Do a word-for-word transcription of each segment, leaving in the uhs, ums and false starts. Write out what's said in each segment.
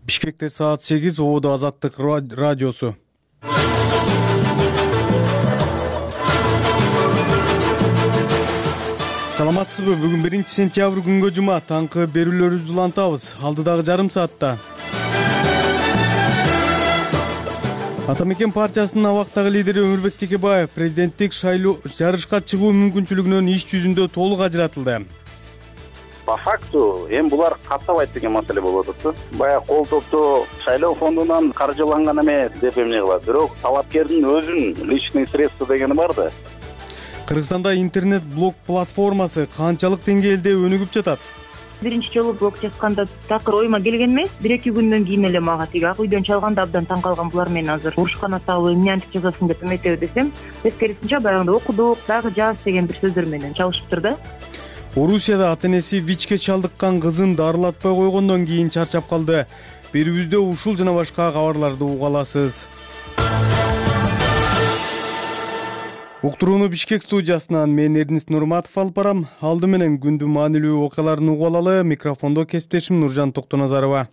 Бишкекте саат сегиз, Ободо Азаттык радиосу. Саламатсызбы? Бүгүн биринчи сентябрь күнгө жума. Таңкы берүүлөрүбүздү улантабыз. Алдыдагы жарым саатта Атамекен партиясынын абактагы лидери Өмүрбек Текебаев президенттик шайлоо жарышка чыгуу мүмкүнчүлүгүнөн иш жүзүндө толук ажыратылды. По факту эми булар каттабайт деген маселе болуп атат. Баягы кол топтоо шайлоо фондунан каржыланган эмес деп эмне кылат. Бирок талапкердин өзүнүн личный средства дегени бар да. Кыргызстанда интернет-блог платформасы канчалык деңгээлде өнүгүп жатат? Биринчи жолу блог жазганда такыр оюма келген эмес. бир-эки күндөн кийин эле мага тиги ак үйдөн чалганда абдан таң калган, булар менен азыр урушкан атабы, эмне антип жазасың деп эметеби десем, тескерисинче баягындай окудук, дагы жаз деген бир сөздөр менен чалышыптыр да. Орусияда ата-энеси ВИЧке чалдыккан кызын дарылатпай койгондон кийин чарчап калды. Берүүбүздө ушул жана башка кабарларды уга аласыз. Уктурууну Бишкек студиясынан мен Эрнист Нурматов алып барам. Алды менен күндүн маанилүү окуяларын угуп алалы. Микрофондо кесиптешим Нуржан Токтоназарова.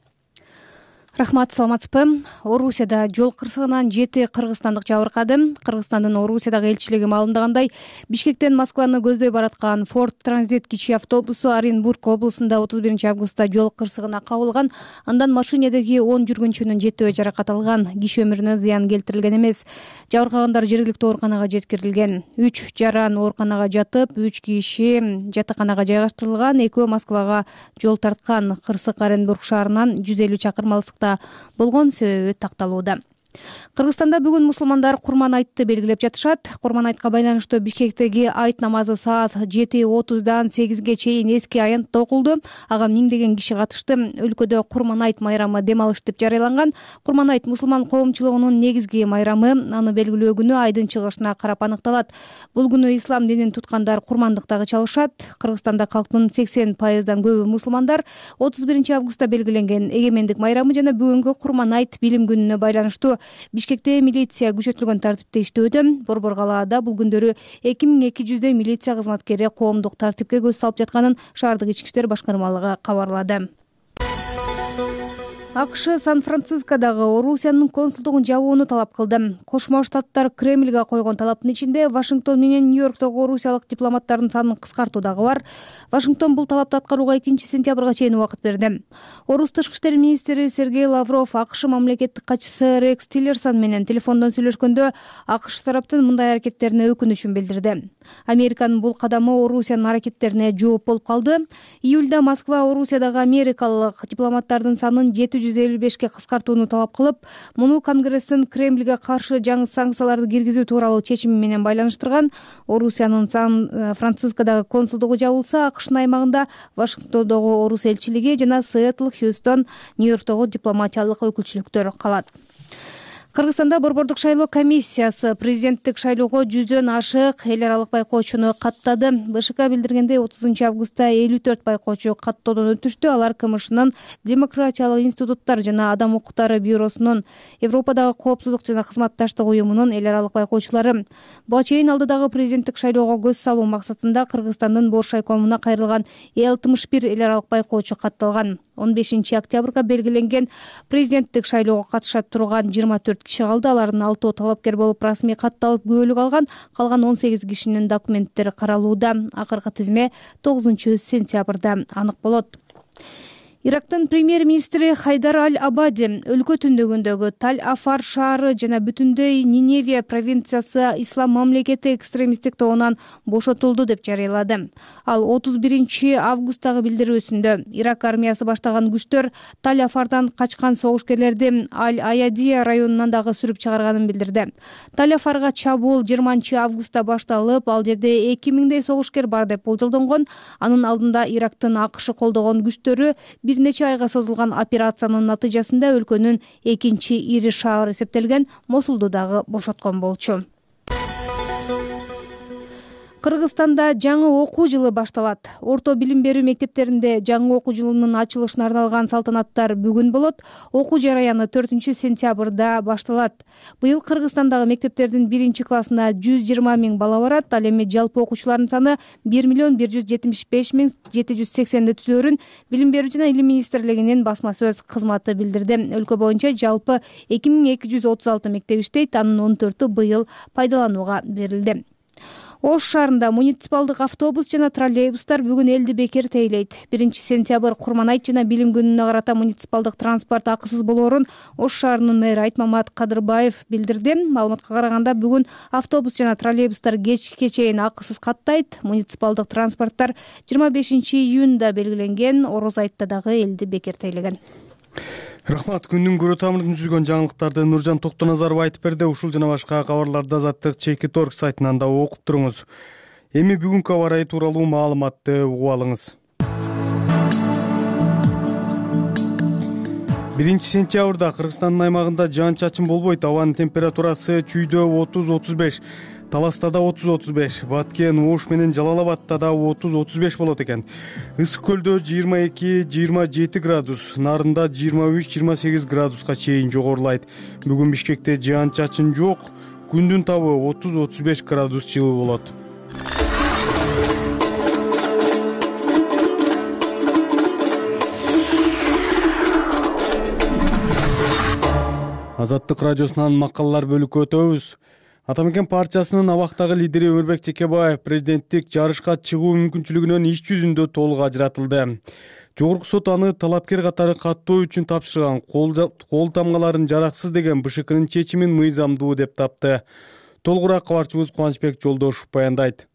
Рахмат, саламатсызбы? Орусияда жол кырсыгынан жети кыргызстандык жабыркады. Кыргызстандын Орусиядагы элчилиги маалымдагандай, Бишкектен Москваны көздөй бараткан Ford Transit кичи автобусу Оренбург облусунда отуз биринчи августта жол кырсыгына кабылган. Андан машинедеги он жүргүнчүнүн жетөө жаракат алган. Киши өмүрүнө зыян келтирилген эмес. Жабыркагандар жергиликтүү ооруканага жеткирилген. үч жаран ооруканага жатып, үч киши жатаканага жайгаштырылган. Экөө Москвага жол тарткан. Кырсык Оренбург шаарынан жүз элүү чакырым алыстыкта болгон, себеби такталууда. Кыргызстанда бүгүн мусулмандар Курман айтты белгилеп жатышат. Курман айтка байланыштуу Бишкектеги айт намазы саат жети отуздан сегизге чейин эски аянтта окулду. Ага миңдеген киши катышты. Өлкөдө Курман айт майрамы дем алыш деп жарыяланган. Курман айт мусулман коомчулугунун негизги майрамы. Аны белгилөө күнү айдын чыгышына карап аныкталат. Бул күнү ислам динин туткандар курмандык дагы чалышат. Кыргызстанда калктын сексен пайыздан көбү мусулмандар. отуз биринчи августта белгиленген эгемендик майрамы жана бүгүнкү Курман айт билим күнүнө байланыштуу Бишкекте милиция күчөтүлгөн тартипте иштөөдө. Борбор калаада бул күндөрү эки миң эки жүздөй милиция кызматкери коомдук тартипке көз салып жатканын шаардык ички иштер башкармалыгы кабарлады. АКШ Сан-Францискодагы Орусиянын консулдугун жабууну талап кылды. Кошмо Штаттар Кремльге койгон талаптын ичинде Вашингтон менен Нью-Йорктогу орусиялык дипломаттардын санын кыскартуу дагы бар. Вашингтон бул талапты аткарууга экинчи сентябрга чейин убакыт берди. Орус тышкы иштер министри Сергей Лавров АКШ мамлекеттик катчысы Рекс Тиллерсон менен телефондон сүйлөшкөндө АКШ тараптын мындай аракеттерине өкүнүчүн билдирди. Американын бул кадамы Орусиянын аракеттерине жооп болуп калды. Июлда Москва Орусиядагы америкалык дипломаттардын санын жети жүз элүү бешке кыскартууну талап кылып, муну Конгресстин Кремльге каршы жаңы санкцияларды киргизүү тууралуу чечими менен байланыштырган. Орусиянын Сан-Францискодагы консулдугу жабылса, АКШнын аймагында Вашингтондогу орус элчилиги жана Сиэтл, Хьюстон, Нью-Йорктогу дипломатиялык өкүлчүлүктөр калат. Кыргызстанда борбордук шайлоо комиссиясы президенттик шайлоого жүздөн ашык эл аралык байкоочуну каттады. БШК билдиргендей, отузунчу августта элүү төрт байкоочу каттоодон өтүштү. Алар КМШнын Демократиялык институттар жана Адам укуктары бюросунун, Европадагы коопсуздук жана кызматташтык уюмунун эл аралык байкоочулары. Буга чейин алдыдагы президенттик шайлоого көз салуу максатында Кыргызстандын Бош шайкомуна кайрылган алтымыш бир эл аралык байкоочу катталган. он бешинчи октябрга белгиленген президенттик шайлоого катыша турган жыйырма төрт киши калды. Алардын алтоо талапкер болуп расмий катталып күбөлүк алган. Калган он сегиз кишинин документтери каралууда. Акыркы тизме тогузунчу сентябрда анык болот. Ирактын премьер-министри Хайдар Аль-Абади өлкө түндүгүндөгү Таль-Афар шаары жана бүтүндөй Ниневия провинциясы ислам мамлекети экстремисттик тобунан бошотулду деп жарыялады. Ал отуз биринчи августтагы билдирүүсүндө Ирак армиясы баштаган күчтөр Таль-Афардан качкан согушкерлерди Аль-Аядия районунан дагы сүрүп чыгарганын билдирди. Таль-Афарга чабуул жыйырманчы августта башталып, ал жерде эки миңдей согушкер бар деп болжолдонгон. Анын алдында Ирактын АКШ колдогон күчтөрү бир нече айга созулган операциянын натыйжасында өлкөнүн экинчи ири шаары эсептелген Мосулду дагы бошоткон болчу. Кыргызстанда жаңы окуу жылы башталат. Орто билим берүү мектептеринде жаңы окуу жылынын ачылышына арналган салтанаттар бүгүн болот. Окуу жараяны төртүнчү сентябрда башталат. Быйыл Кыргызстандагы мектептердин биринчи классына жүз жыйырма миң бала барат. Ал эми жалпы окуучулардын саны бир миллион бир жүз жетимиш беш миң жети жүз сексенди түзөөрүн Билим берүү жана Илим министрлигинин басма сөз кызматы билдирди. Өлкө боюнча жалпы эки миң эки жүз отуз алты мектеп иштейт. Анын он төртү быйыл пайдаланууга берилди. Ош шаарында муниципалдык автобус жана троллейбустар бүгүн элди бекер тейлейт. биринчи сентябрь Курманайт жана билим күнүнө карата муниципалдык транспорт акысыз болоорун Ош шаарынын мэрі Айтмамат Кадырбаев билдирди. Маалыматка караганда бүгүн автобус жана троллейбустар кечке чейин акысыз каттайт. Муниципалдык транспорттор жыйырма бешинчи июнда белгиленген Ороз айтта дагы элди бекер тейлеген. Рахмат. Күндүн көрө тамырын түзгөн жаңылыктарды Нуржан Токтоназаров айтып берди. Ушул жана башка кабарларды Азаттык Чекит Орг сайтынан да окуп туруңуз. Эми бүгүнкү аба ырайы тууралуу маалыматты угуп алыңыз. биринчи сентябрда Кыргызстандын аймагында жаан-чачын болбойт. Абанын температурасы Чүйдө отуз отуз беш, Таласта да отуз отуз беш, Баткен, Ош менен Жалал Абадта да отуз отуз беш болот экен. Ысык көлдө жыйырма эки жыйырма жети градус, Нарында жыйырма үч жыйырма сегиз градуска чейин жогорулайт. Бүгүн Бишкекте жаан-чачын жок, күндүн табы отуз отуз беш градус жылуу болот. Азаттык радиосунан макалалар бөлүккө өтөбүз. Ата Мекен партиясынын абактагы лидери Өмүрбек Текебаев президенттик жарышка чыгуу мүмкүнчүлүгүнөн иш жүзүндө толук ажыратылды. Жогорку сот аны талапкер катары каттоо үчүн тапшырган кол тамгаларын жараксыз деген БШКнын чечимин мыйзамдуу деп тапты. Толугураак кабарчыбыз Кубанычбек Жолдошев баяндайт.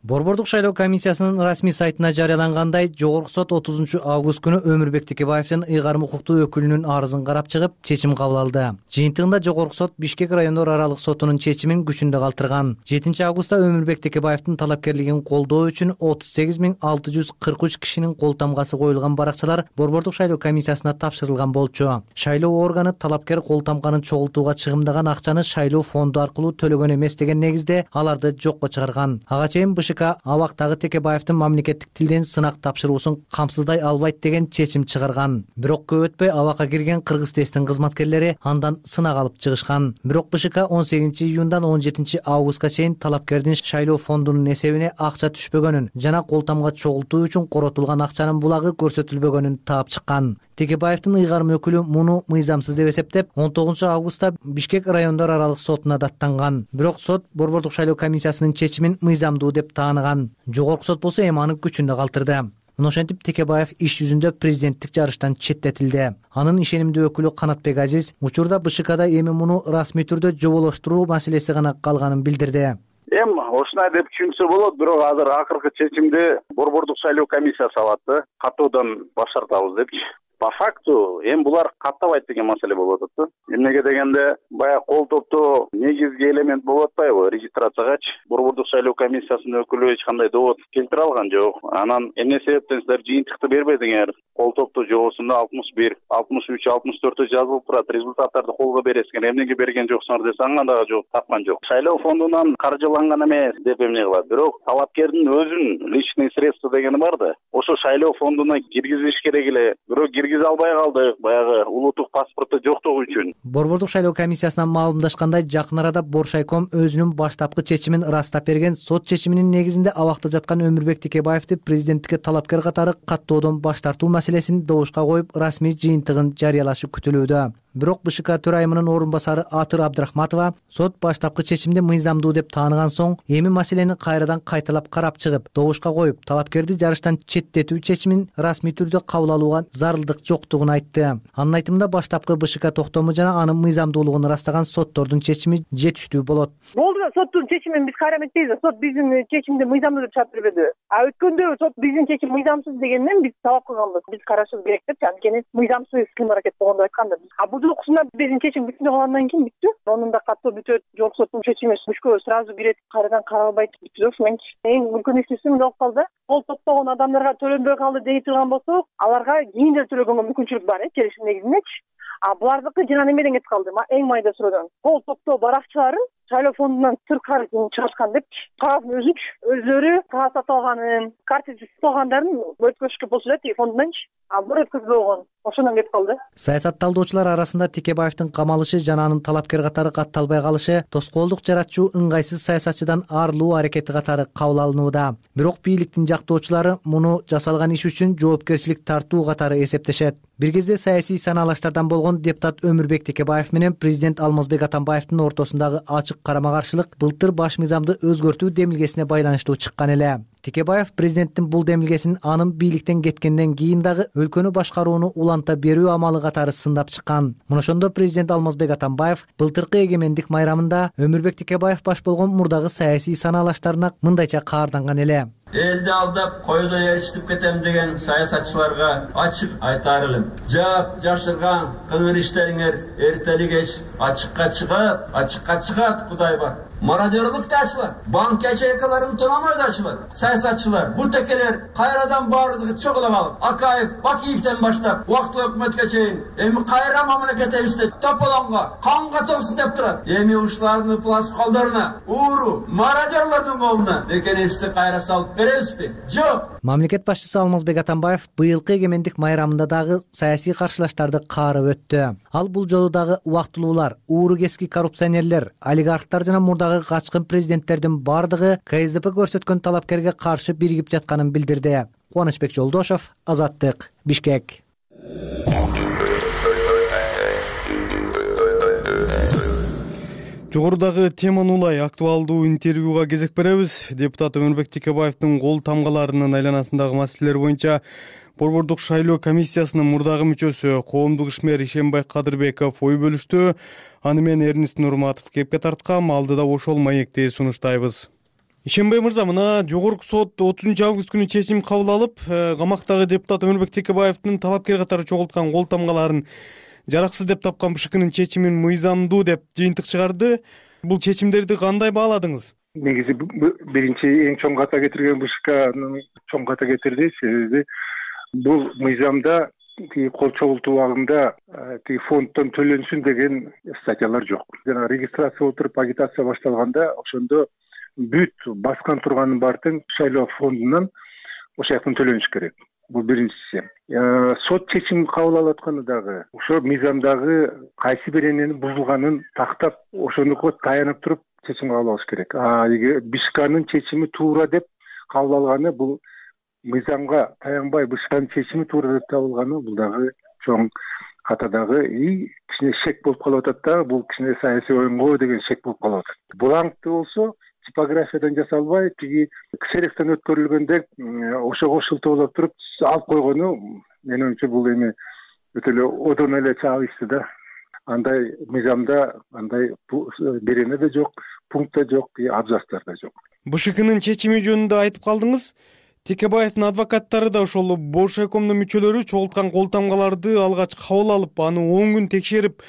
Борбордук шайлоо комиссиясынын расмий сайтына жарыялангандай, Жогорку сот отузунчу август күнү Өмүрбек Текебаевдин ыйгарым укуктуу өкүлүнүн арызын карап чыгып, чечим кабыл алды. Жыйынтыгында Жогорку сот Бишкек райондор аралык сотунун чечимин күчүндө калтырган. жетинчи августта Өмүрбек Текебаевдин талапкерлигин колдоо үчүн отуз сегиз миң алты жүз кырк үч кишинин кол тамгасы коюлган баракчалар Борбордук шайлоо комиссиясына тапшырылган болчу. Шайлоо органы талапкер кол тамганын чогултууга чыгымдаган акчаны шайлоо фонду аркылуу төлөгөн эмес деген негизде аларды жокко чыгарган. Ага чейин БШК абактагы Текебаевдин мамлекеттик тилден сынак тапшыруусун камсыздай албайт деген чечим чыгарган. Бирок көп өтпөй абакка кирген Кыргыз тесттин кызматкерлери андан сынак алып чыгышкан. Бирок БШК он сегизинчи июндан он жетинчи августка чейин талапкердин шайлоо фондунун эсебине акча түшпөгөнүн жана кол тамга чогултуу үчүн коротулган акчанын булагы көрсөтүлбөгөнүн таап чыккан. Текебаевдин ыйгарым өкүлү муну мыйзамсыз деп эсептеп, он тогузунчу августта Бишкек райондор аралык сотуна даттанган. Бирок сот Борбордук шайлоо комиссиясынын чечимин мыйзамдуу деп таанаган. Жогорку сот болсо эми аны күчүндө калтырды. Мына ошентип Текебаев иш жүзүндө президенттик жарыштан четтетилди. Анын ишенимдүү өкүлү Канатбек Азиз учурда БШКда эми муну расмий түрдө жоболоштуруу маселеси гана калганын билдирди. Эми ушундай деп түшүнсө болот, бирок азыр акыркы чечимди Борбордук шайлоо комиссиясы алат, каттоодан баш тартабыз депчи. По факту эми булар каттабайт деген маселе болуп атат. Эмнеге дегенде, баягы кол топтоо негизги элемент болуп атпайбы регистрациягачы Борбордук шайлоо комиссиясынын өкүлү эч кандай довод келтире алган жок. Анан эмне себептен силер жыйынтыкты бербедиңер? Кол топтоо жобосунда алтымыш бир, алтымыш үч, алтымыш төртө жазылып турат. Результаттарды колго бересиңер. Эмнеге берген жоксуңар десе, ага дагы жок тапкан жок. Шайлоо фондунан каржыланган эмес деп эмне кылат. Бирок талапкердин өзүнүн личный средства дегени бар да. Ошо шайлоо фондуна киргизиш керек эле. Бирок киргизе албай калдык, баягы улуттук паспорту жоктугу үчүн. Борбордук шайлоо комиссиясынан маалымдашкандай, жакын арада Боршайком өзүнүн баштапкы чечимин ырастап берген. Сот чечиминин негизинде абакта жаткан Өмүрбек Текебаевди президенттикке талапкер катары каттоодон баш тартуу маселесин добушка коюп, расмий жыйынтыгын жарыялашы күтүлүүдө. Бирок БШК төрайымынын орун басары Атыр Абдрахматова сот баштапкы чечимди мыйзамдуу деп тааныган соң, эми маселени кайрадан кайталап карап чыгып, добушка коюп, талапкерди жарыштан четтетүү чечимин расмий түрдө кабыл алууга зарылдык жоктугун айтты. Анын айтымында баштапкы БШК токтому жана анын мыйзамдуулугун ырастаган соттордун чечими жетиштүү болот. Болду, соттун чечимин биз кайра эметпейбиз. Сот биздин чечимди мыйзамдуу деп чыгып бербеди. А өткөндө сот биздин чечим мыйзамсыз дегенден биз талап кылганбыз. Биз карашыбыз керек деп, анткени мыйзамсыз кылым-аракет болгондо айтканбыз. А бул уксунда биздин чечим бүтүнө калгандан кийин бүттү. Онун да каттоо бүтөт, жогорку соттун чечими мүшкө сразу кирет, кайрадан каралбайт бүттү. Менчи эң үлкөн ишсизим болуп калды. Кол топтогон адамдарга төлөнбөй калды дей турган болсок, аларга кийин деле төлөгөнгө мүмкүнчүлүк бар, э, келишим негизиндечи. А булардыкы жана немеден кетип калды. Эң майда сүрөдөн. Кол топтоо баракчыларын шайлоо фондунан сырт карыз чыгарышкан деп кагаздын өзүнчү өздөрү кагаз сатып алганын, карточка сатып алгандарын өткөзүшкө болчу да тиги фондунанчы. А бир өткөзбөгөн. Ошондон кетип калды. Саясат талдоочулар арасында Текебаевдин камалышы жана анын талапкер катары катталбай калышы тоскоолдук жаратчу ыңгайсыз саясатчыдан арылуу аракети катары кабыл алынууда. Бирок бийликтин жактоочулары муну жасалган иш үчүн жоопкерчилик тартуу катары эсептешет. Бир кезде саясий санаалаштардан болгон депутат Өмүрбек Текебаев менен президент Алмазбек Атамбаевдин ортосундагы ачык карама-каршылык былтыр баш мыйзамды өзгөртүү демилгесине байланыштуу чыккан эле. Текебаев президенттин бул демилгесин анын бийликтен кеткенден кийин дагы өлкөнү башкарууну уланта берүү амалы катары сындап чыккан. Мына ошондо президент Алмазбек Атамбаев былтыркы эгемендик майрамында Өмүрбек Текебаев баш болгон мурдагы саясий санаалаштарына мындайча каарданган эле. Элди алдап, койдо ээрчитип кетем деген саясатчыларга ачык айтаар элем. Жаап жашырган кыңыр иштериңер эртели кеч ачыкка чыгып, ачыкка чыгат Кудай бар. Мародерлук да ачылат, банк ячейкаларын тономой да ачылат. Саясатчылар, бул текелер кайрадан баардыгы чогула калып, Акаев, Бакиевден баштап, убактылуу өкмөткө чейин эми кайра мамлекетибизде тополонго, канга толсун деп турат. Эми ушулардын пласт колдоруна, ууру, мародерлордун колуна экенибизди кайра салып беребизби? Жок. Мамлекет башчысы Алмазбек Атамбаев быйылкы эгемендик майрамында дагы саясий каршылаштарды каарып өттү. Ал бул жолу дагы убактылуулар, ууру кески коррупционерлер, олигархтар жана мурдагы качкын президенттердин бардыгы ка эс дэ пэ көрсөткөн талапкерге каршы биригип жатканын билдирди. Кубанычбек Жолдошов, Азаттык, Бишкек. Жогорудагы теманы улай актуалдуу интервьюга кезек беребиз. Депутат Өмүрбек Текебаевдин кол тамгаларынын айланасындагы маселелер боюнча Борбордук шайлоо комиссиясынын мурдагы мүчөсү коомдук ишмер Ишенбай Кадырбеков ой бөлүштү. Аны мен Эрнест Нурматов кепке тарткам. Алдыда ошол маекти сунуштайбыз. Ишенбай мырза, мына жогорку сот отузунчу август күнү чечим кабыл алып, камактагы депутат Өмүрбек Текебаевдин талапкер катары чогулткан кол тамгаларын жараксыз деп тапкан бэ ш кнын чечимин мыйзамдуу деп жыйынтык чыгарды. Бул чечимдерди кандай бааладыңыз? Негизи биринчи эң чоң ката кетирген бэ ш кны чоң ката кетирди. Себеби бул мыйзамда кол чогултуу убагында фонддон төлөнсүн деген статьялар жок. Жана регистрация отуруп агитация башталганда ошондо бүт баскан турганын баардыгын шайлоо фондунан ошол жактан төлөнүш керек. Бул биринчиси. Сот чечим кабыл алып атканы дагы ошо мыйзамдагы кайсы бир энени бузулганын тактап ошонуко таянып туруп чечим кабыл алыш керек. А эгер БШКнын чечими туура деп кабыл алганы, бул мыйзамга таянбай БШКнын чечими туура деп табылганы, бул дагы чоң катадагы и кичине шек болуп калып атат да, бул кичине саясий оюнго деген шек болуп калып атат. Бланкты болсо типографиядан жасалбай, тиги ксерекстен өткөрүлгөндө ошого шылтоолоп туруп алып койгону менин оюмча бул эми өтө эле одон эле чабышты да. Андай мыйзамда андай берене да жок, пункт да жок, абзацтар да жок. бэ ш кнын чечими жөнүндө айтып калдыңыз. Текебаевдин адвокаттары да ошол Боршайкомдун мүчөлөрү чогулткан кол тамгаларды алгач кабыл алып, аны он күн текшерип,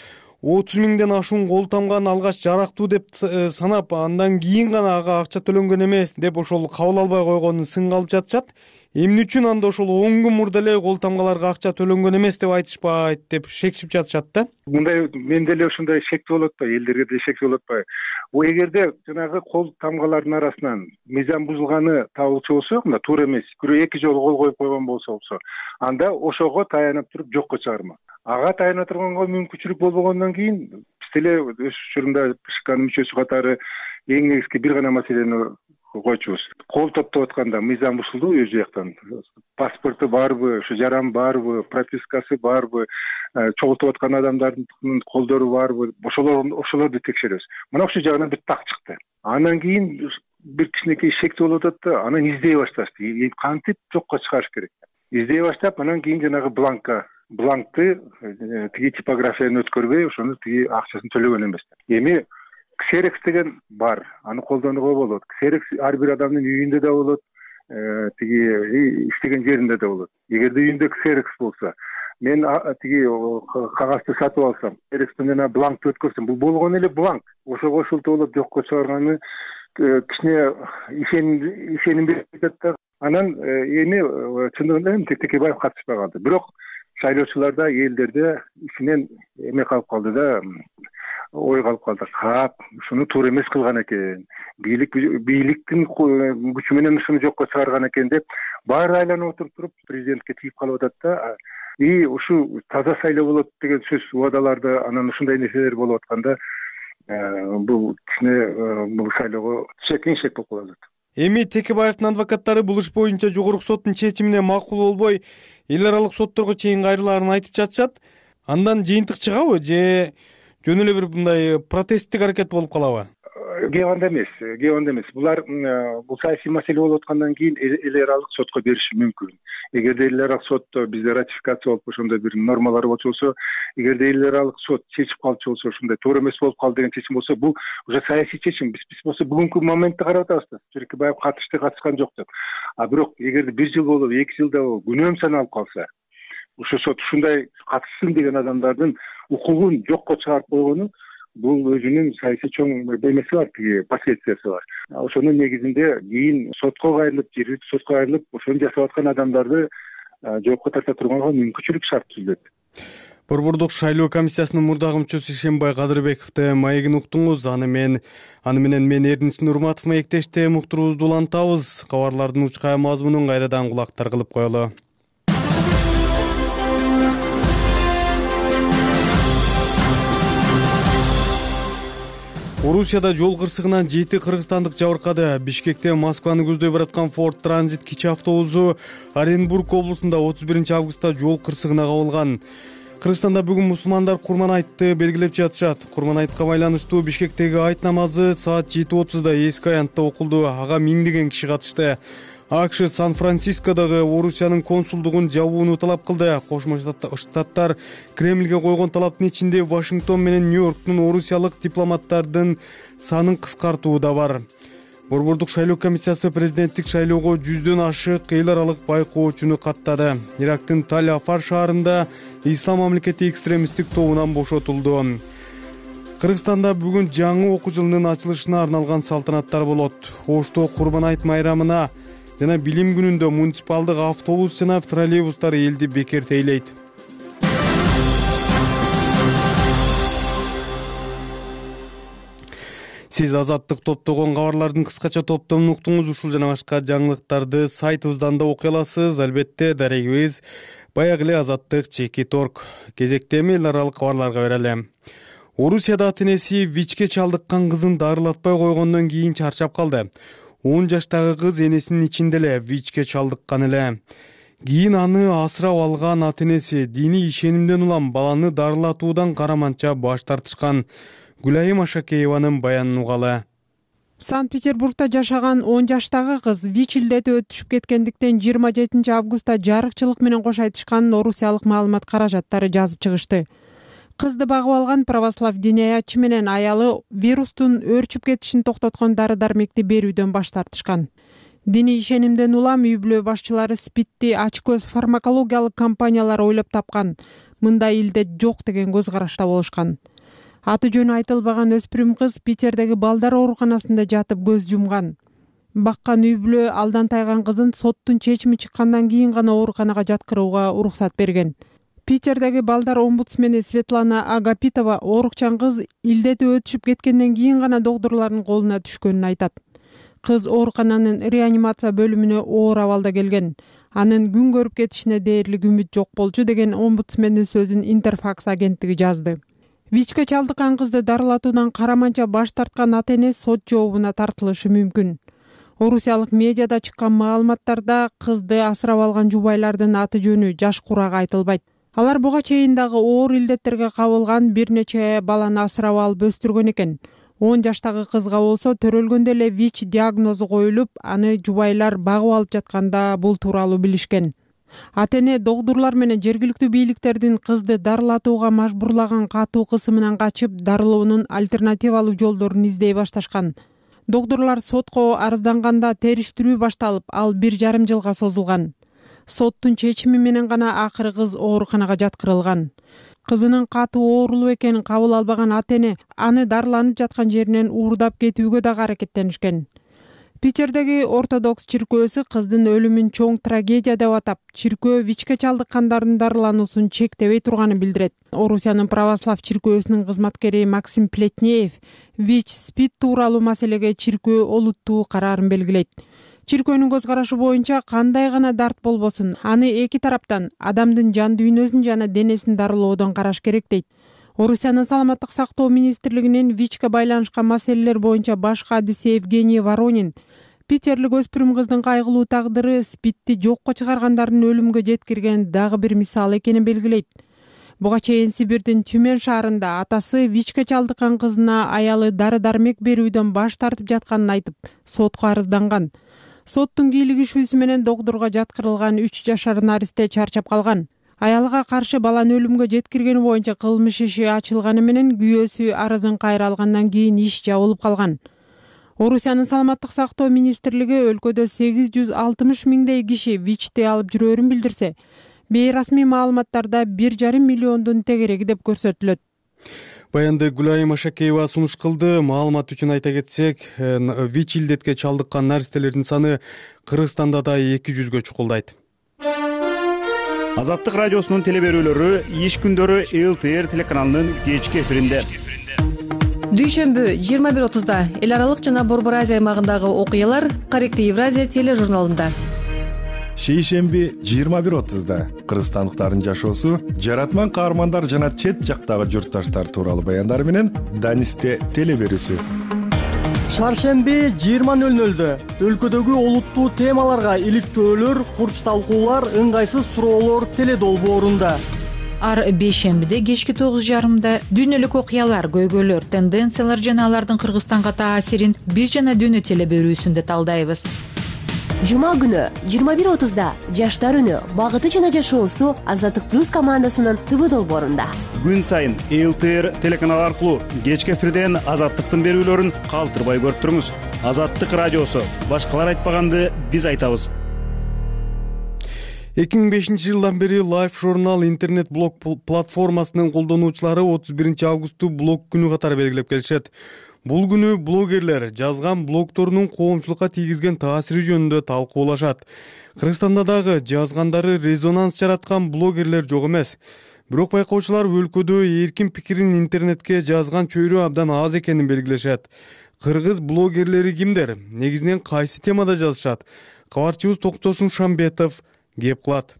отуз миңден ашуун кол тамганы алгач жарактуу деп санап, андан кийин гана ага акча төлөнгөн эмес деп ошол кабыл албай койгонун сынга алып жатышат. Эмне үчүн анда ошол он күн мурда эле кол тамгаларга акча төлөнгөн эмес деп айтышпайт деп шекчип жатышат да. Мындай менде эле ошондой шектүү болуп атпайбы, элдерге да шектүү болуп атпайбы? О эгерде жанагы кол тамгалардын арасынан мыйзам бузулганы табылчу болсо, мына туура эмес, бирөө эки жолу кол коюп койгон болсо болсо, анда ошого таянып туруп жокко чыгарма. Ага таяна турганга мүмкүнчүлүк болбогондон кийин биз деле өз учурунда бэ ш кнын мүчөсү катары эң негизги бир гана маселени койчубуз. Кол топтоп атканда мыйзам бузулду өз жактан. Паспорту барбы, ушу жаран барбы, пропискасы барбы, чогултуп аткан адамдардын колдору барбы, ошолор ошолорду текшеребиз. Мына ушул жагынан бүт так чыкты. Андан кийин бир кичинекей шектүү болуп атат да, анан издей башташты. Кантип жокко чыгарыш керек. Издей баштап, анан кийин жанагы бланкка бланкты тиги типографияны өткөрбөй, ошону тиги акчасын төлөгөн эмес. Эми ксерекс деген бар, аны колдонууга болот. Ксерекс ар бир адамдын үйүндө да болот, тиги иштеген жеринде да болот. Эгерде үйүндө ксерекс болсо, мен тиги кагазды сатып алсам, ксерекстен жана бланкты өткөрсөм, бул болгон эле бланк. Ошого шылтоолоп жокко чыгарганы кичине ишеним берип атат да. Анан эми чындыгында эми Текебаев катышпай калды. Бирок шайлоочуларда, элдерде ичинен эме калып калды да, ойго алып калдык. Кап ушуну туура эмес кылган экен, бийлик бийликтин күчү менен ушуну жокко чыгарган экен деп баары айланып отуруп туруп президентке тийип калып атат да. И ушу таза шайлоо болот деген сөз убадаларды анан ушундай нерселер болуп атканда бул кичине бул шайлоого чекиншек болуп калып атат. Эми Текебаевдин адвокаттары бул иш боюнча жогорку соттун чечимине макул болбой эл аралык сотторго чейин кайрылаарын айтып жатышат. Андан жыйынтык чыгабы же жөн эле бир мындай протесттик аракет болуп калабы? Кээ анда эмес, кээ анда эмес. Булар бул саясий маселе болуп аткандан кийин эл аралык сотко бериши мүмкүн. Эгерде эл аралык сотто бизде ратификация болуп ошондой бир нормалар болчу болсо, эгерде эл аралык сот чечип калчу болсо, ушундай туура эмес болуп калды деген чечим болсо, бул уже саясий чечим. Биз биз болсо бүгүнкү моментти карап атабыз да. Текебаев катышты, катышкан жок деп. А бирок эгерде бир жыл болуп, эки жылда болуп, күнөөм саналып калса, ушул сот ушундай катышсын деген адамдардын укугун жокко чыгарып койгону бул өзүнүн саясий чоң эмеси бар, тиги последствиясы бар. Ошонун негизинде кийин сотко кайрылып, жергиликтүү сотко кайрылып, ошону жасап аткан адамдарды жоопко тарта турганга мүмкүнчүлүк шарт түзүлөт. Борбордук шайлоо комиссиясынын мурдагы мүчөсү Ишенбай Кадырбековду маегин уктуңуз. Аны мен аны менен мен Эрдин Нурматов маектеште уктуруубузду улантабыз. Кабарлардын учкай мазмунун кайрадан кулактар кылып коелу. Орусияда жол кырсыгынан жети кыргызстандык жабыркады. Бишкекте Москваны көздөй бараткан Ford Transit кичи автобусу Оренбург облусунда отуз биринчи августта жол кырсыгына кабылган. Кыргызстанда бүгүн мусулмандар Курман айтты белгилеп жатышат. Курман айтка байланыштуу Бишкектеги айт намазы саат жети отузда эски аянтта окулду. Ага миңдеген киши катышты. АКШ Сан-Францискодогу Орусиянын консулдугун жабууну талап кылды. Кошмо Штаттар Кремльге койгон талаптын ичинде Вашингтон менен Нью-Йорктун орусиялык дипломаттардын санын кыскартуу да бар. Борбордук шайлоо комиссиясы президенттик шайлоого жүздөн ашык эл аралык байкоочуну каттады. Ирактын Таль-Афар шаарында Ислам мамлекети экстремисттик тобунан бошотулду. Кыргызстанда бүгүн жаңы окуу жылынын ачылышына арналган салтанаттар болот. Ошто Курман айт майрамына жана билим күнүндө муниципалдык автобус жана троллейбустар элди бекер тейлейт. Сиз Азаттык топтогон кабарлардын кыскача топтомун уктуңуз. Ушул жана башка жаңылыктарды сайтыбыздан да окуй аласыз. Албетте дарегибиз баягы эле Азаттык чекит точка орг. Кезекте эми эл аралык кабарларга берели. Орусияда ата-энеси ВИЧке чалдыккан кызын дарылатпай койгондон кийин чарчап калды. он жаштагы кыз энесинин ичинде эле ВИЧке чалдыккан эле. Кийин аны асырап алган ата-энеси диний ишенимден улам баланы дарылатуудан караманча баш тартышкан. Гүлайым Ашакееванын баянын угалы. Санкт-Петербургда жашаган он жаштагы кыз ВИЧ илдети өтүшүп кеткендиктен жыйырма жетинчи августта жарыкчылык менен кош айтышканын орусиялык маалымат каражаттары жазып чыгышты. Кызды багып алган православ диниаятчы менен аялы вирустун өөрчүп кетишин токтоткон дары-дармекти берүүдөн баш тартышкан. Диний ишенимден улам үй бүлө башчылары СПИДти ачкөз фармакологиялык компаниялар ойлоп тапкан. Мындай илдет жок деген көз карашта болушкан. Аты жөнү айтылбаган өспүрүм кыз Питердеги балдар ооруканасында жатып көз жумган. Баккан үй бүлө алдан тайган кызын соттун чечими чыккандан кийин гана ооруканага жаткырууга уруксат берген. Питердеги балдар омбудсмени Светлана Агапитова оорукчан кыз илдети өтүшүп кеткенден кийин гана докторлордун колуна түшкөнүн айтат. Кыз оорукананын реанимация бөлүмүнө оор абалда келген. Анын күн көрүп кетишине дээрлик үмүт жок болчу деген омбудсмендин сөзүн Интерфакс агенттиги жазды. ВИЧке чалдыккан кызды дарылатуудан караманча баш тарткан ата-эне сот жообуна тартылышы мүмкүн. Орусиялык медиада чыккан маалыматтарда кызды асырап алган жубайлардын аты жөнү жаш курак айтылбайт. Алар буга чейин дагы оор илдеттерге кабылган бир нече баланы асырап алып өстүргөн экен. он жаштагы кызга болсо төрөлгөндө эле ВИЧ диагнозу коюлуп, аны жубайлар багып алып жатканда бул тууралуу билишкен. Ата-эне докторлор менен жергиликтүү бийликтердин кызды дарылатууга мажбурлаган катуу кысымынан качып, дарылоонун альтернативалуу жолдорун издей башташкан. Докторлор сотко арызданганда териштирүү башталып, ал бир жарым жылга созулган. Соттун чечими менен гана акыры кыз ооруканага жаткырылган. Кызынын катуу оорулуу экенин кабыл албаган ата-эне аны дарыланып жаткан жеринен уурдап кетүүгө дагы аракеттенишкен. Питердеги ортодокс чиркөөсү кыздын өлүмүн чоң трагедия деп атап, чиркөө ВИЧке чалдыккандардын дарылануусун чектебей турганын билдирет. Орусиянын православ чиркөөсүнүн кызматкери Максим Плетнеев ВИЧ, СПИД тууралуу маселеге чиркөө олуттуу караарын белгилейт. Чиркөөнүн көз карашы боюнча кандай гана дарт болбосун, аны эки тараптан адамдын жан дүйнөсүн жана денесин дарылоодон караш керек дейт. Орусиянын саламаттык сактоо министрлигинин ВИЧке байланышкан маселелер боюнча баш кадиси Евгений Воронин питерлик өспүрүм кыздын кайгылуу тагдыры СПИДти жокко чыгаргандардын өлүмгө жеткирген дагы бир мисал экенин белгилейт. Буга чейин Сибирдин Тюмень шаарында атасы ВИЧке чалдыккан кызына аялы дары-дармек берүүдөн баш тартып жатканын айтып, сотко арызданган. Соттун кийлигишүүсү менен докторго жаткырылган үч жашар наристе чарчап калган. Аялга каршы баланы өлүмгө жеткиргени боюнча кылмыш иши ачылганы менен күйөөсү арызын кайра алгандан кийин иш жабылып калган. Орусиянын саламаттык сактоо министрлиги өлкөдө сегиз жүз алтымыш миңдей киши ВИЧти алып жүрөөрүн билдирсе, бейрасмий маалыматтарда бир жарым миллиондун тегереги деп көрсөтүлөт. Баянды Гүлайым Ашакеева сунуш кылды. Маалымат үчүн айта кетсек, ВИЧ илдетке чалдыккан наристелердин саны Кыргызстанда да эки жүзгө чукулдайт. Азаттык радиосунун теле берүүлөрү иш күндөрү эл тэ эр телеканалынын кечки эфиринде. Дүйшөмбү жыйырма бир отузда эл аралык жана Борбор Азия аймагындагы окуялар Корректив Евразия тележурналында. Шейшемби жыйырма бир отузда кыргызстандыктардын жашоосу, жаратман каармандар жана чет жактагы журтташтар тууралуу баяндар менен Данисте теле берүүсү. Шаршемби жыйырма нөл нөлдө өлкөдөгү олуттуу темаларга иликтөөлөр, курч талкуулар, ыңгайсыз суроолор теле долбоорунда. Ар бейшембиде кечки тогуз жарымда дүйнөлүк окуялар, көйгөйлөр, тенденциялар жана алардын Кыргызстанга таасирин биз жана дүйнө теле берүүсүндө талдайбыз. Жума күнү жыйырма бир отузда жаштар үнү, багыты жана жашоосу Азаттык плюс командасынын ТВ долбоорунда. Күн сайын эл тэ эр телеканалы аркылуу кечки эфирден Азаттыктын берүүлөрүн калтырбай көрүп туруңуз. Азаттык радиосу, башкалар айтпаганды биз айтабыз. эки миң бешинчи жылдан бери Life журнал интернет блог платформасынын колдонуучулары отуз биринчи августту блог күнү катары белгилеп келишет. Бул күнү блогерлер жазган блогторунун коомчулукка тийгизген таасири жөнүндө талкуулашат. Кыргызстанда дагы жазгандары резонанс жараткан блогерлер жок эмес. Бирок байкоочулар өлкөдө эркин пикирин интернетке жазган чөйрө абдан аз экенин белгилешет. Кыргыз блогерлери кимдер? Негизинен кайсы темада жазышат? Кабарчыбыз Токтошун Шамбетов кеп кылат.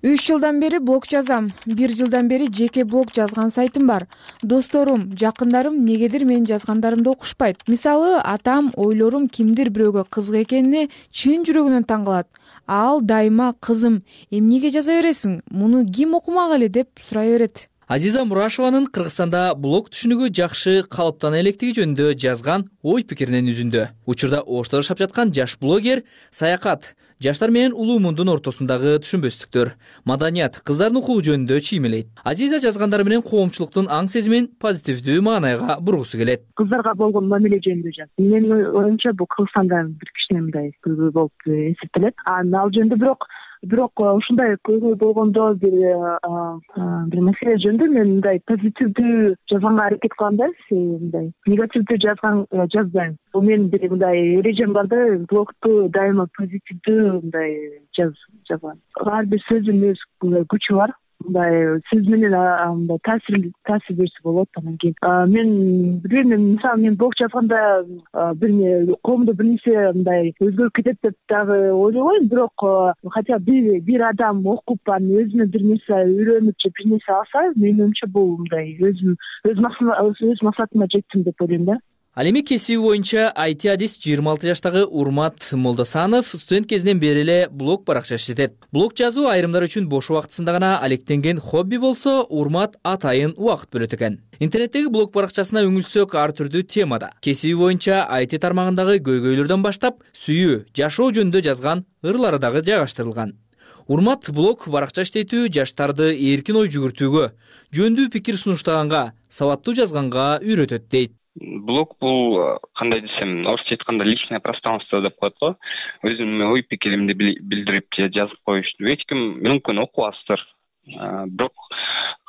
үч жылдан бери блог жазам. бир жылдан бери жеке блог жазган сайтым бар. Досторум, жакындарым негедир менин жазгандарымды окушпайт. Мисалы, атам ойлорум кимдир бирөөгө кызык экенине чын жүрөгүнөн таң калат. Ал дайыма кызым, эмнеге жаза бересиң? Муну ким окумак эле деп сурай берет. Азиза Мурашеванын Кыргызстанда блог түшүнүгү жакшы калыптана электиги жөнүндө жазган ой пикиринен үзүндү. Учурда Ошто жашап жаткан жаш блогер саякат, жаштар менен улуу мундун ортосундагы түшүнбөстүктөр, маданият, кыздардын укугу жөнүндө чиймелейт. Азиза жазгандары менен коомчулуктун аң сезимин позитивдүү маанайга бургусу келет. Кыздарга болгон мамиле жөнүндө жаз. Менин оюмча бул Кыргызстанда бир кичине мындай көйгөй болуп эсептелет. Ал жөнүндө бирок бирок ушундай көйгөй болгондо бир бир маселе жөнүндө мен мындай позитивдүү жазганга аракет кылам да, мындай негативдүү жазган жазбайм. Бул менин бир мындай эрежем бар да, блогту дайыма позитивдүү мындай жаз жазган. Ар бир сөздүн өз күчү бар. Мындай сөз менен мындай таасир таасир берсе болот. Анан кийин мен билбейм, мисалы мен блог жазганда бир коомдо бир нерсе мындай өзгөрүп кетет деп дагы ойлобойм, бирок хотя бир бир адам окуп анан өзүнө бир нерсе үйрөнүп же бир нерсе алса, менин оюмча бул мындай өзүм өз өз максатыма жеттим деп ойлойм да. Ал эми кесиби боюнча ай ти адис жыйырма алты жаштагы Урмат Молдосанов студент кезинен бери эле блог баракча иштетет. Блог жазуу айрымдар үчүн бош убактысында гана алектенген хобби болсо, Урмат атайын убакыт бөлөт экен. Интернеттеги блог баракчасына үңүлсөк ар түрдүү темада. Кесиби боюнча ай ти тармагындагы көйгөйлөрдөн баштап, сүйүү, жашоо жөнүндө жазган ырлары дагы жайгаштырылган. Урмат блог баракча иштетүү жаштарды эркин ой жүгүртүүгө, жөндүү пикир сунуштаганга, сабаттуу жазганга үйрөтөт дейт. Блог бул кандай десем, орусча айтканда личное пространство деп коет го. Өзүмдүн ой пикиримди билдирип же жазып коюшту эч ким мүмкүн окубастыр. Бирок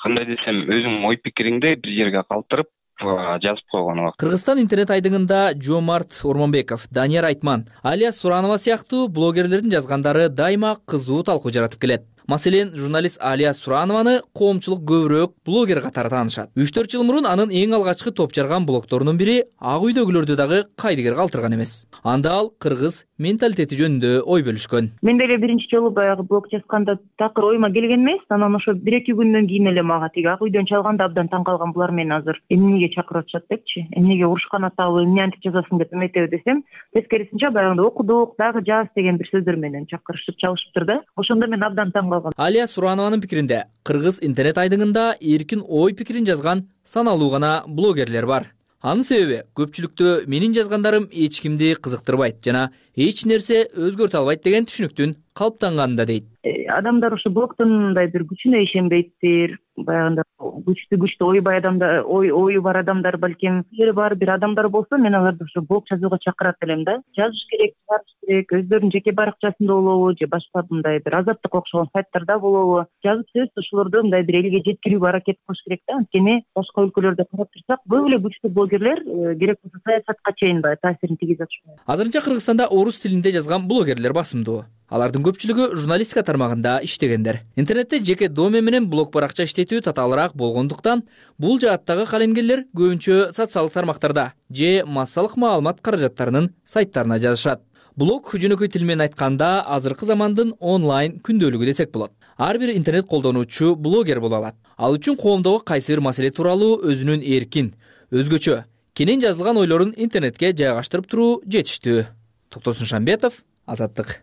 кандай десем, өзүң ой пикириңди бир жерге калтырып, жазып койгону бар. Кыргызстан интернет айдыңында Жомарт Ормонбеков, Данияр Айтман, Алия Суранова сыяктуу блогерлердин жазгандары дайыма кызуу талкуу жаратып келет. Маселен, журналист Алия Суранованы коомчулук көбүрөөк блогер катары таанышат. үч төрт жыл мурун анын эң алгачкы топ жарган блогторунун бири Ак үйдөгүлөрдү дагы кайдыгер калтырган эмес. Анда ал кыргыз менталитети жөнүндө ой бөлүшкөн. Мен деле биринчи жолу баягы блог жазганда такыр ойума келген эмес, анан ошо бир эки күндөн кийин эле мага тиги Ак үйдөн чалганда абдан таң калган, булар мени азыр эмнеге чакырып атышат депчи, эмнеге урушкан атабы, эмне антип жазасың деп эметеби десем, тескерисинче баягындай окудук, дагы жаз деген бир сөздөр менен чакырышып чалышыптыр да. Ошондо мен абдан таң калгам. Алия Суранованын пикиринде, кыргыз интернет айдыңында эркин ой пикирин жазган саналуу гана блогерлер бар. Анын себеби көпчүлүктө менин жазгандарым эч кимди кызыктырбайт жана эч нерсе өзгөртө албайт деген түшүнүктүн калыптанганында дейт. Адамдар ошо блогдун мындай бир күчүнө ишенбейттир. Баягында күчтүү күчтүү ой бай адамдар, ой ою бар адамдар, балким жери бар бир адамдар болсо, мен аларды ошо блог жазууга чакырат элем да. Жазыш керек, чыгарыш керек, өздөрүнүн жеке баракчасында болобу же башка мындай бир азаттык окшогон сайттарда болобу, жазып сөзсүз ошолорду мындай бир элге жеткирүүгө аракет кылыш керек да. Анткени башка өлкөлөрдө карап турсак, көп эле күчтүү блогерлер керек болсо саясатка чейин баягы таасирин тийгизе атышат. Азырынча Кыргызстанда орус тилинде жазган блогерлер басымдуу. Алардын көпчүлүгү журналистика тармагында иштегендер. Интернетте жеке домен менен блог баракча иштетүү татаалыраак болгондуктан, бул жааттагы калемгерлер көбүнчө социалдык тармактарда же массалык маалымат каражаттарынын сайттарына жазышат. Блог жөнөкөй тил менен айтканда азыркы замандын онлайн күндөлүгү десек болот. Ар бир интернет колдонуучу блогер боло алат. Ал үчүн коомдогу кайсы бир маселе тууралуу өзүнүн эркин, өзгөчө, кенен жазылган ойлорун интернетке жайгаштырып туруу жетиштүү. Токтосун Шамбетов, Азаттык.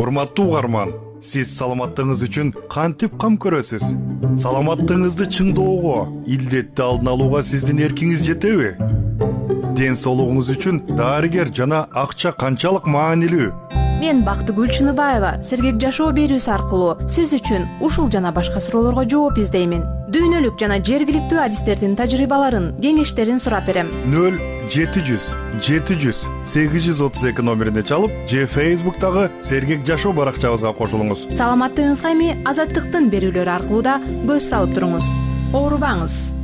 Урматтуу угарман, сиз саламаттыгыңыз үчүн кантип кам көрөсүз? Саламаттыгыңызды чыңдоого, илдетти алдын алууга сиздин эркиңиз жетеби? Ден соолугуңуз үчүн дарыгер жана акча канчалык маанилүү? Мен Бактыгүл Чыныбаева сергек жашоо берүүсү аркылуу сиз үчүн ушул жана башка суроолорго жооп издеймин. Дүйнөлүк жана жергиликтүү адистердин тажрыйбаларын, кеңештерин сурап берем. нөл жети жүз жети жүз сегиз жүз отуз эки номерине чалып, же Facebook'тагы сергек жашоо баракчабызга кошулуңуз. Саламаттыгыңызга эми Азаттыктын берүүлөрү аркылуу да көз салып туруңуз. Оорубаңыз.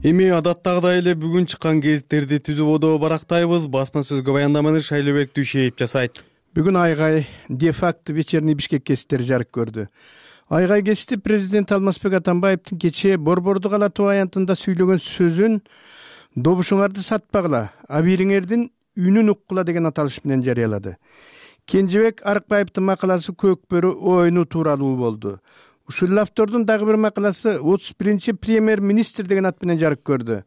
Эми адаттагыдай эле бүгүн чыккан гезиттерди түзүп одо барактайбыз. Басма сөзгө баяндаманы Шайлообек Дүйшеев жасайт. Бүгүн Айгай де-факто вечерний Бишкек гезиттери жарык көрдү. Айгай гезити президент Алмазбек Атамбаевдин кечээ Борбордук ала тоо аянтында сүйлөгөн сөзүн "Добушуңарды сатпагыла, абийириңердин үнүн уккула" деген аталыш менен жарыялады. Кенжебек Арыкбаевдин макаласы Көкбөрү оюну тууралуу болду. Ушул автордун дагы бир макаласы отуз биринчи премьер-министр деген ат менен жарык көрдү.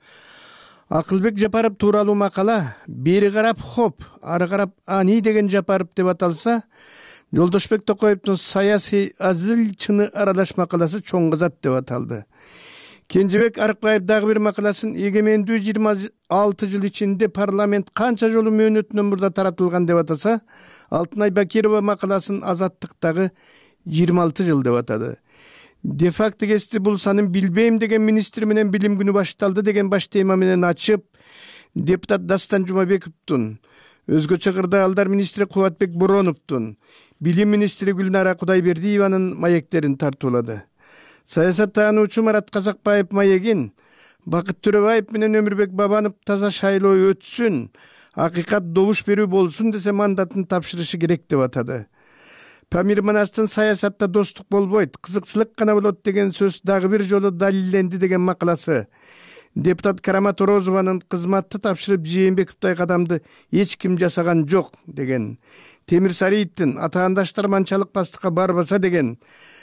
Акылбек Жапаров тууралуу макала бери карап хоп, ары карап ани деген Жапаров деп аталса, Жолдошбек Токоевдун саясий азыл чыны аралаш макаласы чоң кызат деп аталды. Кенжебек Арыкбаев дагы бир макаласын эгемендүү жыйырма алты жыл ичинде парламент канча жолу мөөнөтүнөн мурда таратылган деп атаса, Алтынай Бакирова макаласын Азаттыктагы жыйырма алты жыл деп атады. Де-факто гезити бул санын билбейм деген министр менен билим күнү башталды деген баш тема менен ачып, депутат Дастан Жумабековдун, өзгөчө кырдаалдар министри Кубатбек Бороновдун, билим министри Гүлнара Кудайбердиеванын маектерин тартуулады. Саясаттануучу Марат Казакбаев маегин Бакыт Төрөбаев менен Өмүрбек Бабанов таза шайлоо өтсүн, акыйкат добуш берүү болсун десе мандатын тапшырышы керек деп атады. Памир Манастын саясатта достук болбойт, кызыкчылык гана болот деген сөз дагы бир жолу далилденди деген макаласы. Депутат Карамат Орозованын кызматты тапшырып Жээнбековдой кадамды эч ким жасаган жок деген. Темир Сариевдин атаандаштар манчалык бастыкка барбаса деген.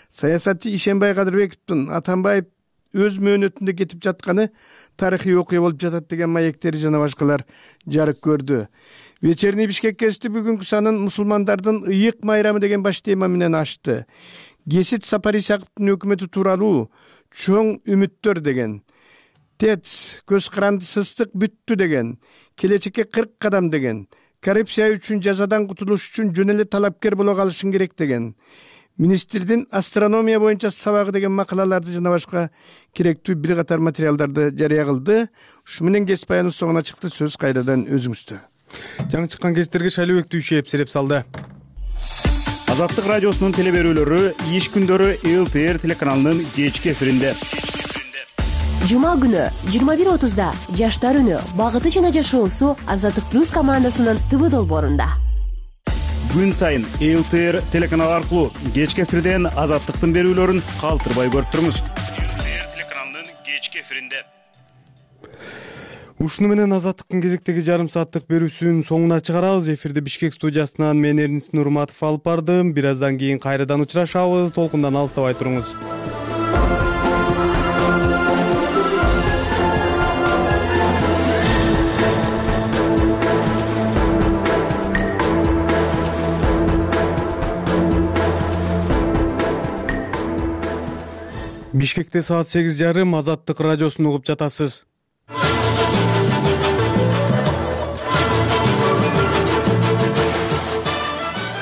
Саясатчы Ишенбай Кадырбековдун Атамбаев өз мөөнөтүндө кетип жатканы тарыхый окуя болуп жатат деген маектери жана башкалар жарык көрдү. Вечерний Бишкек гезити бүгүнкү санын мусулмандардын ыйык майрамы деген баш тема менен ачты. Гесит Сапар Исаковдун өкмөтү тууралуу чоң үмүттөр деген. ТЭЦ көз каранды сыстык бүттү деген. Келечекке кырк кадам деген. Коррупция үчүн жазадан кутулуш үчүн жөн эле талапкер боло калышың керек деген. Министрдин астрономия боюнча сабагы деген макалаларды жана башка керектүү бир катар материалдарды жарыя кылды. Ушу менен гезит баяныбыз соңуна чыкты. Сөз кайрадан өзүңүздө. Жаңы чыккан гезиттерге Шайлообек Дүйшеев сереп салды. Азаттык радиосунун теле берүүлөрү иш күндөрү эл тэ эр телеканалынын кечки эфиринде. жума күнү жыйырма бир отузда жаштар үнү багыты жана жашоосу Азаттык плюс командасынын ТВ долбоорунда. Күн сайын эл тэ эр телеканалы аркылуу кечки эфирден Азаттыктын берүүлөрүн калтырбай көрүп туруңуз. эл тэ эр телеканалынын кечки эфиринде. Ушуну менен Азаттыктын кезектеги жарым сааттык берүүсүнүн соңуна чыгарабыз. Эфирди Бишкек студиясынан мен Эрнис Нурматов алып бардым. Бир аздан кийин кайрадан учурашабыз. Толкундан алыстабай туруңуз. Бишкекте саат сегиз жарым Азаттык радиосун угуп жатасыз.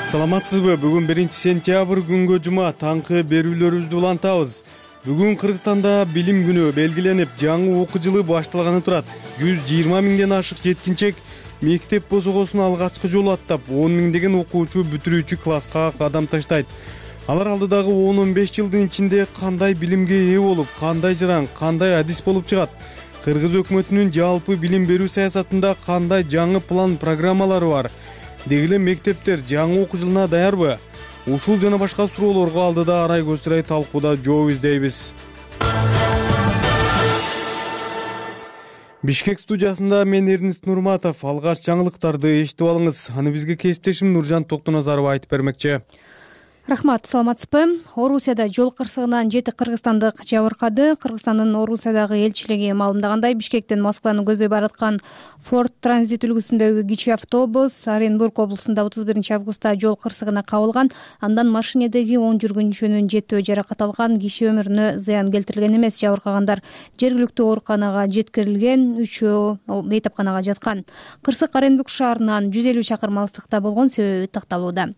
Саламатсызбы? Бүгүн биринчи сентябрь күнгө жума таңкы берүүлөрүбүздү улантабыз. Бүгүн Кыргызстанда билим күнү белгиленип, жаңы окуу жылы башталганы турат. жүз жыйырма миңден ашык жеткинчек мектеп босогосун алгачкы жолу аттап, он миңдеген окуучу бүтүрүүчү класска кадам таштайт. Алар алдыдагы он он беш жылдын ичинде кандай билимге ээ болуп, кандай жаран, кандай адис болуп чыгат? Кыргыз өкмөтүнүн жалпы билим берүү саясатында кандай жаңы план, программалары бар? Деги эле мектептер жаңы окуу жылына даярбы? Ушул жана башка суроолорго алдыда арай көзсүрөй талкууда жооп издейбиз. Бишкек студиясында мен Эрнис Нурматов. Алгач жаңылыктарды эшитип алыңыз. Аны бизге кесиптешим Нуржан Токтоназарова айтып бермекчи. Рахмат, саламатсызбы? Орусияда жол кырсыгынан жети кыргызстандык жабыркады. Кыргызстандын Орусиядагы элчилиги маалымдагандай, Бишкектен Москваны көздөй бараткан Ford Transit үлгүсүндөгү кичи автобус Оренбург облусунда отуз биринчи августта жол кырсыгына кабылган. Андан машинедеги он жүргүнчүнүн жетөө жаракат алган, киши өмүрүнө зыян келтирилген эмес. Жабыркагандар жергиликтүү ооруканага жеткирилген, үчөө бейтапканага жаткан. Кырсык Оренбург шаарынан жүз элүү чакырым алыстыкта болгон, себеби такталууда.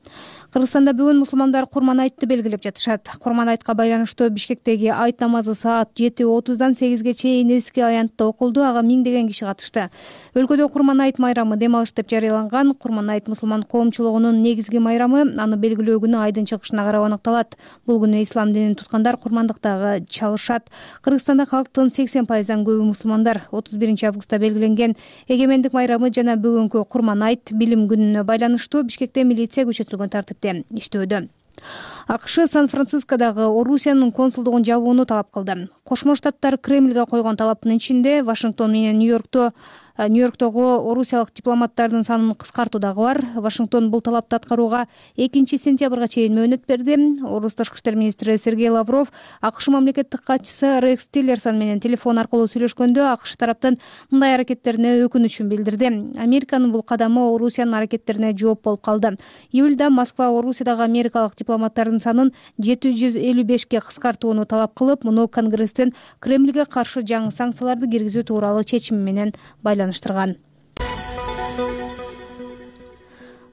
Кыргызстанда бүгүн мусулмандар Курман айтты белгилеп жатышат. Курман айтка байланыштуу Бишкектеги айт намазы саат жети отуздан сегизге чейин эски аянтта окулду. Ага миңдеген киши катышты. Өлкөдө Курман айт майрамы дем алыш деп жарыяланган. Курман айт мусулман коомчулугунун негизги майрамы. Аны белгилөө күнү айдын чыгышына карап аныкталат. Бул күнү ислам динин туткандар курмандыктагы чалышат. Кыргызстанда калктын сексен пайыздан көбү мусулмандар. отуз биринчи августта белгиленген эгемендик майрамы жана бүгүнкү Курман айт билим күнүнө байланыштуу Бишкекте милиция күчөтүлгөн тартипте иштөөдө. АКШ Сан-Францискодагы Орусиянын консулдугун жабууну талап кылды. Кошмо Штаттар Кремльге койгон талаптын ичинде Вашингтон менен Нью-Йоркто Нью-Йорктогу орусиялык дипломаттардын санын кыскартуу дагы бар. Вашингтон бул талапты аткарууга экинчи сентябрга чейин мөөнөт берди. Орус тышкы иштер министри Сергей Лавров АКШ мамлекеттик катчысы Рекс Тиллерсон менен телефон аркылуу сүйлөшкөндө АКШ тараптын мындай аракеттерине өкүнүчүн билдирди. Американын бул кадамы Орусиянын аракеттерине жооп болуп калды. Июлда Москва Орусиядагы америкалык дипломаттардын санын жети жүз элүү бешке кыскартууну талап кылып, муну Конгресстин Кремльге каршы жаңы санкцияларды киргизүү тууралуу чечими менен байланыштырган.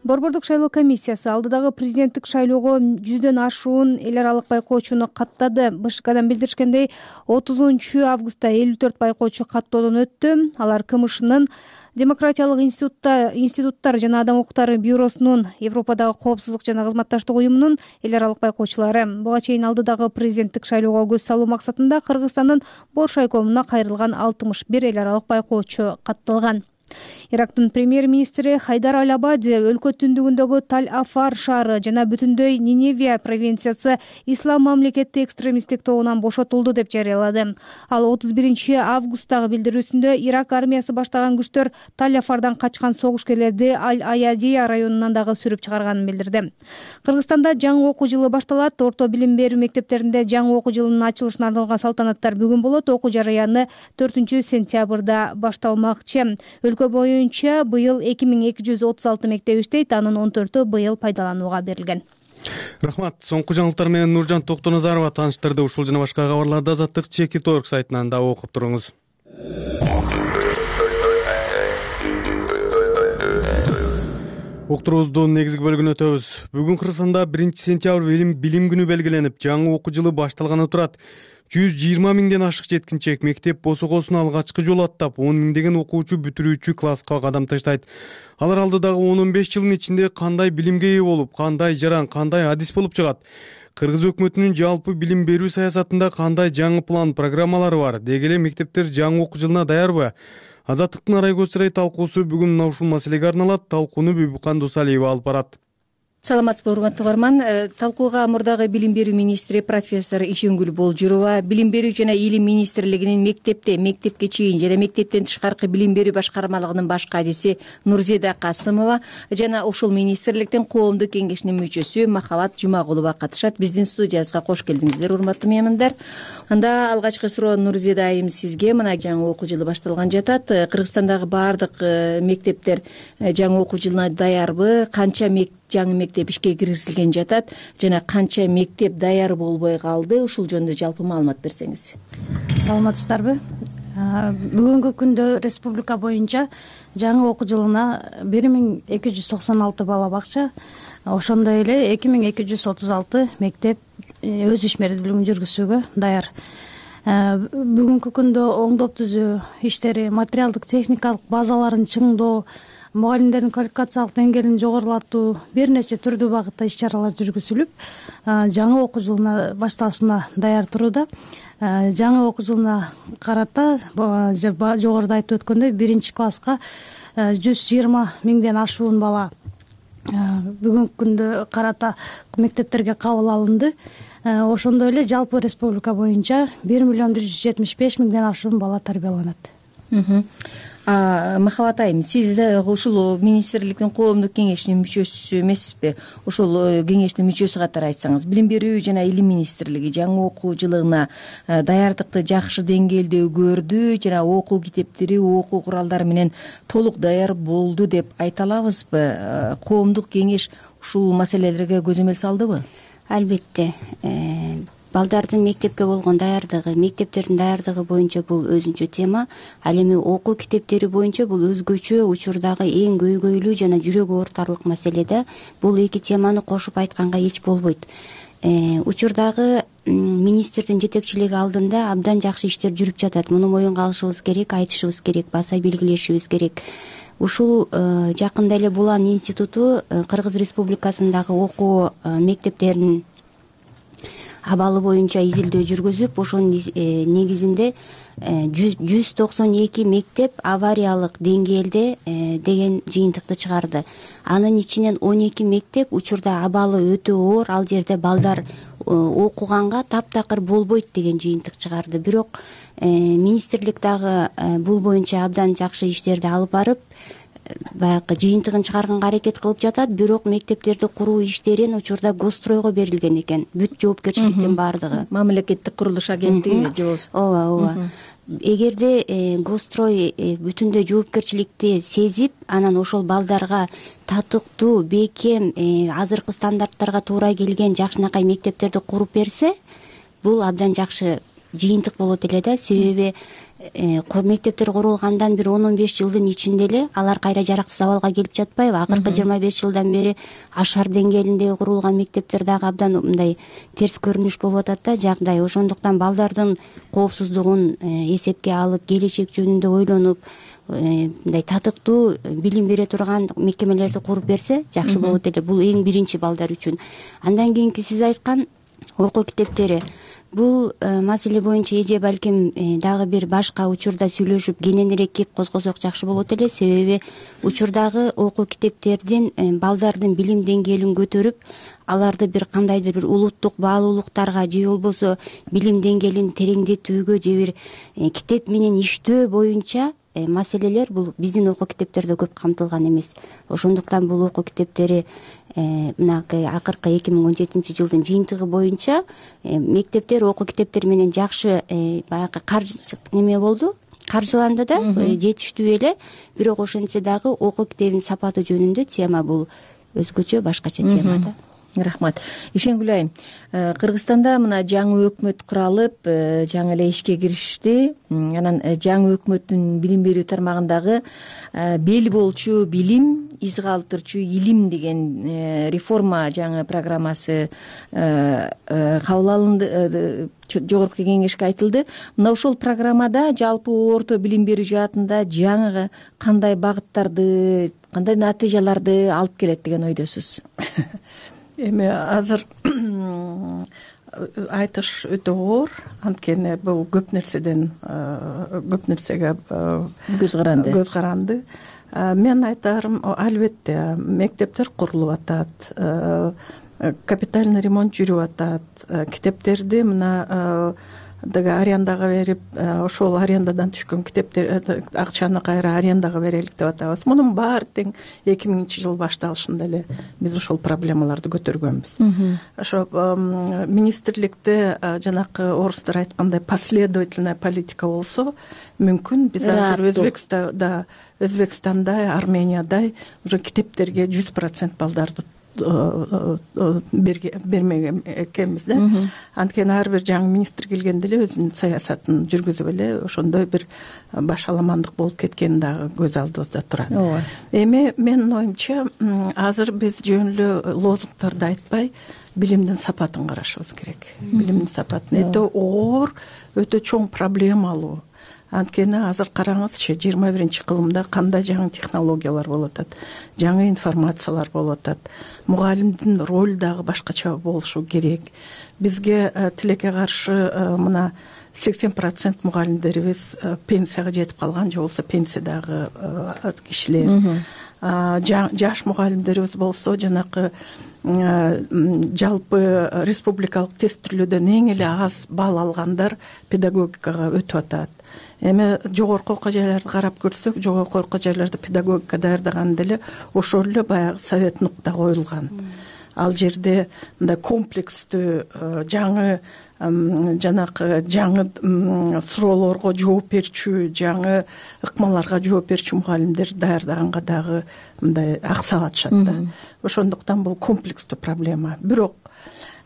Борбордук шайлоо комиссиясы алдыдагы президенттик шайлоого жүздөн ашуун эл аралык байкоочуну каттады. БШКдан билдиришкендей, отузунчу августта элүү төрт байкоочу каттоодон өттү. Алар КМШнын Демократиялык институтта институттар жана адам укуктары бюросунун, Европадагы коопсуздук жана кызматташтык уюмунун эл аралык байкоочулары. Буга чейин алдыдагы президенттик шайлоого көз салуу максатында Кыргызстандын Бош айкомуна кайрылган алтымыш бир эл аралык байкоочу катталган. Ирактын премьер-министри Хайдар Аль-Абади өлкө түндүгүндөгү Таль-Афар шаары жана бүтүндөй Ниневия провинциясы ислам мамлекети экстремисттик тобунан бошотулду деп жарыялады. Ал отуз биринчи августтагы билдирүүсүндө Ирак армиясы баштаган күчтөр Таль-Афардан качкан согушкерлерди Аль-Аядия районунан дагы сүрүп чыгарганын билдирди. Кыргызстанда жаңы окуу жылы башталат. Орто билим берүү мектептеринде жаңы окуу жылынын ачылышына арналган салтанаттар бүгүн болот. Окуу жарыяны төртүнчү сентябрда башталмакчы. Өлкө боюнча быйыл эки миң эки жүз отуз алты мектеп иштейт, анын он төртү быйыл пайдаланууга берилген. Рахмат. Соңку жаңылыктар менен Нуржан Токтоназарова тааныштырды. Ушул жана башка кабарларды Азаттык Чеки Торг сайтынан да окуп туруңуз. Уктуруубуздун негизги бөлүгүнө өтөбүз. Бүгүн Кыргызстанда биринчи сентябрь билим билим күнү белгиленип, жаңы окуу жылы башталганы турат. жүз жыйырма миңден ашык жеткинчек мектеп босогосун алгачкы жолу аттап, он миңдеген окуучу бүтүрүүчү класска кадам таштайт. Алар алдыдагы он он беш жылдын ичинде кандай билимге ээ болуп, кандай жаран, кандай адис болуп чыгат? Кыргыз өкмөтүнүн жалпы билим берүү саясатында кандай жаңы план, программалары бар? Деги эле мектептер жаңы окуу жылына даярбы? Азаттыктын арай көз чырай талкуусу бүгүн мына ушул маселеге арналат. Талкууну Бүбүкан Дусалиева алып барат. Саламатсызбы, урматтуу угарман. Талкууга мурдагы билим берүү министри профессор Ишенгүл Болжурова, билим берүү жана илим министрлигинин мектепте, мектепке чейин жана мектептен тышкаркы билим берүү башкармалыгынын баш кадиси Нурзеда Касымова жана ушул министрликтин коомдук кеңешинин мүчөсү Махабат Жумагулова катышат. Биздин студиябызга кош келдиңиздер, урматтуу меймандар. Анда алгачкы суроо Нурзеда айым сизге. Мына жаңы окуу жылы башталган жатат. Кыргызстандагы баардык мектептер жаңы окуу жылына даярбы? Канча жаңы мектеп ишке киргизилген жатат жана канча мектеп даяр болбой калды? Ушул жөнүндө жалпы маалымат берсеңиз. Саламатсыздарбы? Бүгүнкү күндө республика боюнча жаңы окуу жылына бир миң эки жүз токсон алты бала бакча, ошондой эле эки миң эки жүз отуз алты мектеп өз ишмердүүлүгүн жүргүзүүгө даяр. Бүгүнкү күндө оңдоп түзүү иштери, материалдык техникалык базаларын чыңдоо, мугалимдердин квалификациялык деңгээлин жогорулатуу, бир нече түрдүү багытта иш чаралар жүргүзүлүп, жаңы окуу жылына башталышына даяр турууда. Жаңы окуу жылына карата жогоруда айтып өткөндөй биринчи класска жүз жыйырма миңден ашуун бала бүгүнкү күндө карата мектептерге кабыл алынды. Ошондой эле жалпы республика боюнча бир миллион бир жүз жетимиш беш миңден ашуун бала тарбияланат. Махабат айым, сиз ушул министрликтин коомдук кеңешинин мүчөсү эмессизби? Ошол кеңештин мүчөсү катары айтсаңыз, билим берүү жана илим министрлиги жаңы окуу жылына даярдыкты жакшы деңгээлде көрдү жана окуу китептери, окуу куралдары менен толук даяр болду деп айта алабызбы? Коомдук кеңеш ушул маселелерге көзөмөл салдыбы? Албетте. Балдардын мектепке болгон даярдыгы, мектептердин даярдыгы боюнча бул өзүнчө тема. Ал эми окуу китептери боюнча бул өзгөчө учурдагы эң көйгөйлүү жана жүрөк оорутарлык маселе да. Бул эки теманы кошуп айтканга эч болбойт. Учурдагы министрдин жетекчилиги алдында абдан жакшы иштер жүрүп жатат. Муну моюнга алышыбыз керек, айтышыбыз керек, баса белгилешибиз керек. Ушул жакында эле Булан институту Кыргыз Республикасындагы окуу мектептеринин абалы боюнча изилдөө жүргүзүп, ошонун негизинде жүз токсон эки мектеп авариялык деңгээлде деген жыйынтыкты чыгарды. Анын ичинен он эки мектеп учурда абалы өтө оор, ал жерде балдар окуганга таптакыр болбойт деген жыйынтык чыгарды. Бирок министрлик дагы бул боюнча абдан жакшы иштерди алып барып, баягы жыйынтыгын чыгарганга аракет кылып жатат. Бирок мектептерди куруу иштерин учурда Гостройго берилген экен. Бүт жоопкерчиликтин баардыгы. Мамлекеттик курулуш агенттиги же болбосо. Ооба, ооба. Эгерде Гострой бүтүндөй жоопкерчиликти сезип, анан ошол балдарга татыктуу, бекем, азыркы стандарттарга туура келген жакшынакай мектептерди куруп берсе, бул абдан жакшы жыйынтык болот эле да. Себеби мектептер курулгандан бир он он беш жылдын ичинде эле алар кайра жараксыз абалга келип жатпайбы? Акыркы жыйырма беш жылдан бери ашар деңгээлинде курулган мектептер дагы абдан мындай терс көрүнүш болуп атат да жагдай. Ошондуктан балдардын коопсуздугун эсепке алып, келечек жөнүндө ойлонуп, мындай татыктуу билим бере турган мекемелерди куруп берсе жакшы болот эле. Бул эң биринчи балдар үчүн. Андан кийинки сиз айткан окуу китептери. Бул маселе боюнча эже балким дагы бир башка учурда сүйлөшүп кененирээк кеп козгосок жакшы болот эле. Себеби учурдагы окуу китептердин балдардын билим деңгээлин көтөрүп, аларды бир кандайдыр бир улуттук баалуулуктарга же болбосо билим деңгээлин тереңдетүүгө же бир китеп менен иштөө боюнча маселелер бул биздин окуу китептерде көп камтылган эмес. Ошондуктан бул окуу китептери мынакы акыркы эки миң он жетинчи жылдын жыйынтыгы боюнча мектептер окуу китептери менен жакшы баягы каржы неме болду, каржыланды да, жетиштүү эле. Бирок ошентсе дагы окуу китебинин сапаты жөнүндө тема бул өзгөчө, башкача тема да. Рахмат. Ишенгүл айым, Кыргызстанда мына жаңы өкмөт куралып, жаңы эле ишке киришти. Анан жаңы өкмөттүн билим берүү тармагындагы бел болчу билим, из калтырчу илим деген реформа жаңы программасы кабыл алынды, жогорку кеңешке айтылды. Мына ошол программада жалпы орто билим берүү жаатында жаңы кандай багыттарды, кандай натыйжаларды алып келет деген ойдосуз? эми азыр айтыш өтө оор, анткени бул көп нерседен көп нерсеге көз каранды көз каранды Мен айтарым, албетте мектептер курулуп атат, капитальный ремонт жүрүп атат, китептерди мына деги арендага берип, ошол арендадан түшкөн китептер акчаны кайра арендага берелик деп атабыз. Мунун баары тең эки миңинчи жыл башталышында эле биз ошол проблемаларды көтөргөнбүз. Ошо министрликте жанакы орустар айткандай последовательная политика болсо, мүмкүн биз азыр Өзбекстанда, Өзбекстандай, Армениядай уже китептерге жүз процент балдарды бермеген экенбиз да. Анткени ар бир жаңы министр келгенде эле өзүнүн саясатын жүргүзүп эле ошондой бир башаламандык болуп кеткени дагы көз алдыбызда турат. Эми менин оюмча азыр биз жөн эле лозунгдарды айтпай, билимдин сапатын карашыбыз керек. Билимдин сапатын өтө оор, өтө чоң проблемалуу. Анткени азыр караңызчы, жыйырма биринчи кылымда кандай жаңы технологиялар болуп атат, жаңы информациялар болуп атат. Мугалимдин ролу дагы башкача болушу керек. Бизге тилекке каршы мына сексен процент мугалимдерибиз пенсияга жетип калган, же болбосо пенсиядагы кишилер. Жаш мугалимдерибиз болсо жанакы жалпы республикалык тестирлөөдөн эң эле аз балл алгандар педагогикага өтүп атат. Эми жогорку окуу жайларды карап көрсөк, жогорку окуу жайларда педагогика даярдаганда эле ошол эле баягы совет нукта коюлган. Ал жерде мындай комплекстүү жаңы жанакы жаңы суроолорго жооп берчү, жаңы ыкмаларга жооп берчү мугалимдер даярдаганга дагы мындай аксап атышат да. Ошондуктан бул комплекстүү проблема. Бирок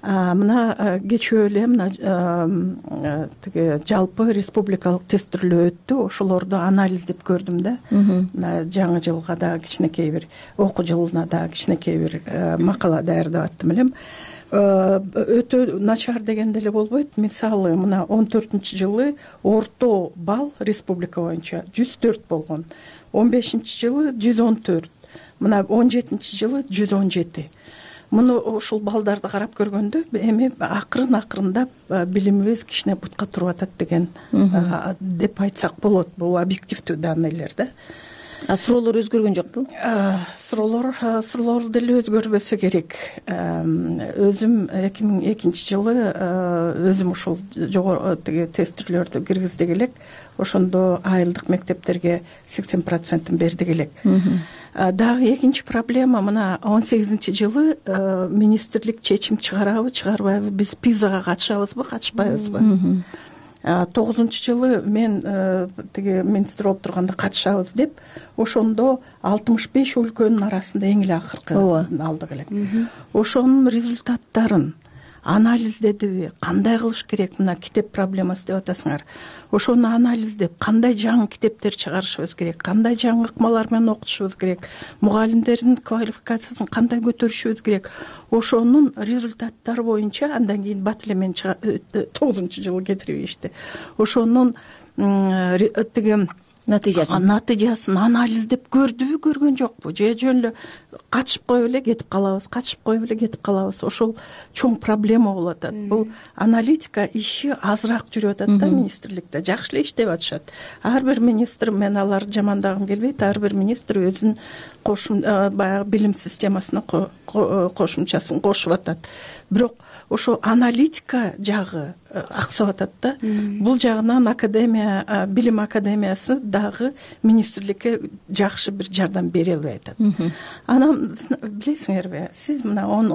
мына кечээ эле мына тиги жалпы республикалык тестирлөө өттү, ошолорду анализдеп көрдүм да. Мына жаңы жылга дагы кичинекей бир окуу жылына дагы кичинекей бир макала даярдап аттым элем. Өтө начар дегенде эле болбойт. Мисалы, мына он төртүнчү жылы орто балл республика боюнча жүз төрт болгон. он бешинчи жылы жүз он төрт. Мына он жетинчи жылы жүз он жети. Муну ушул балдарды карап көргөндө эми акырын акырындап билимибиз кичине бутка туруп атат деген деп айтсак болот. Бул объективдүү данныйлар да. А суроолор өзгөргөн жокпу? Суроолор суроолор деле өзгөрбөсө керек. Өзүм эки миң экинчи жылы өзүм ушул жогору тиги тестирлөрдү киргиздик элек. Ошондо айылдык мектептерге сексен процентин бердик элек. Дагы экинчи проблема, мына он сегизинчи жылы министрлик чечим чыгарабы, чыгарбайбы, биз пизага катышабызбы, катышпайбызбы? тогузунчу жылы мен тиги министр болуп турганда катышабыз деп, ошондо алтымыш беш өлкөнүн арасында эң эле акыркы алдык элек. Ошонун результаттарын анализдедиби, кандай кылыш керек, мына китеп проблемасы деп атасыңар. Ошону анализдеп, кандай жаңы китептер чыгарышыбыз керек, кандай жаңы ыкмалар менен окутушубуз керек, мугалимдердин квалификациясын кандай көтөрүшүбүз керек. Ошонун результаттары боюнча андан кийин бат эле мен тогузунчу жылы кетирбейишти. Ошонун тиги натыйжасын натыйжасын анализдеп көрдүбү, көргөн жокпу, же жөн эле катышып коюп эле кетип калабыз, катышып коюп эле кетип калабыз. Ошол чоң проблема болуп атат. Бул аналитика иши азыраак жүрүп атат да министрликте. Жакшы эле иштеп атышат. Ар бир министр, мен аларды жамандагым келбейт, ар бир министр өзүнүн кошум баягы билим системасына кошумчасын кошуп атат. Бирок ошо аналитика жагы аксап атат да. Бул жагынан академия, билим академиясы дагы министрликке жакшы бир жардам бере албай атат. Анан билесиңерби, сиз мына он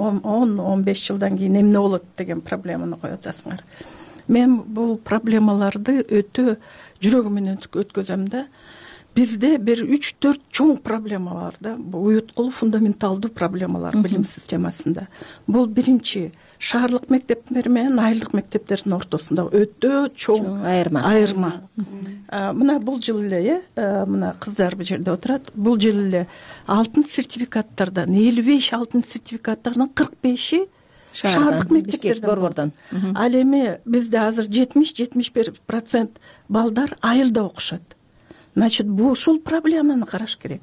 он беш жылдан кийин эмне болот деген проблеманы коюп атасыңар. Мен бул проблемаларды өтө жүрөгүм менен өткөзөм да. Бизде бир үч төрт чоң проблема бар да. Бул уюткулуу фундаменталдуу проблемалар билим системасында. Бул биринчи шаардык мектептер менен айылдык мектептердин ортосунда өтө чоң айырма. Айырма. Мына бул жыл эле, мына кыздар бул жерде отурат. Бул жыл эле алтын сертификаттардан элүү беш алтын сертификаттардан кырк беши шаардык мектептерден борбордон. Ал эми бизде азыр жетимиш жетимиш бир процент балдар айылда окушат. значит бул ушул проблеманы караш керек.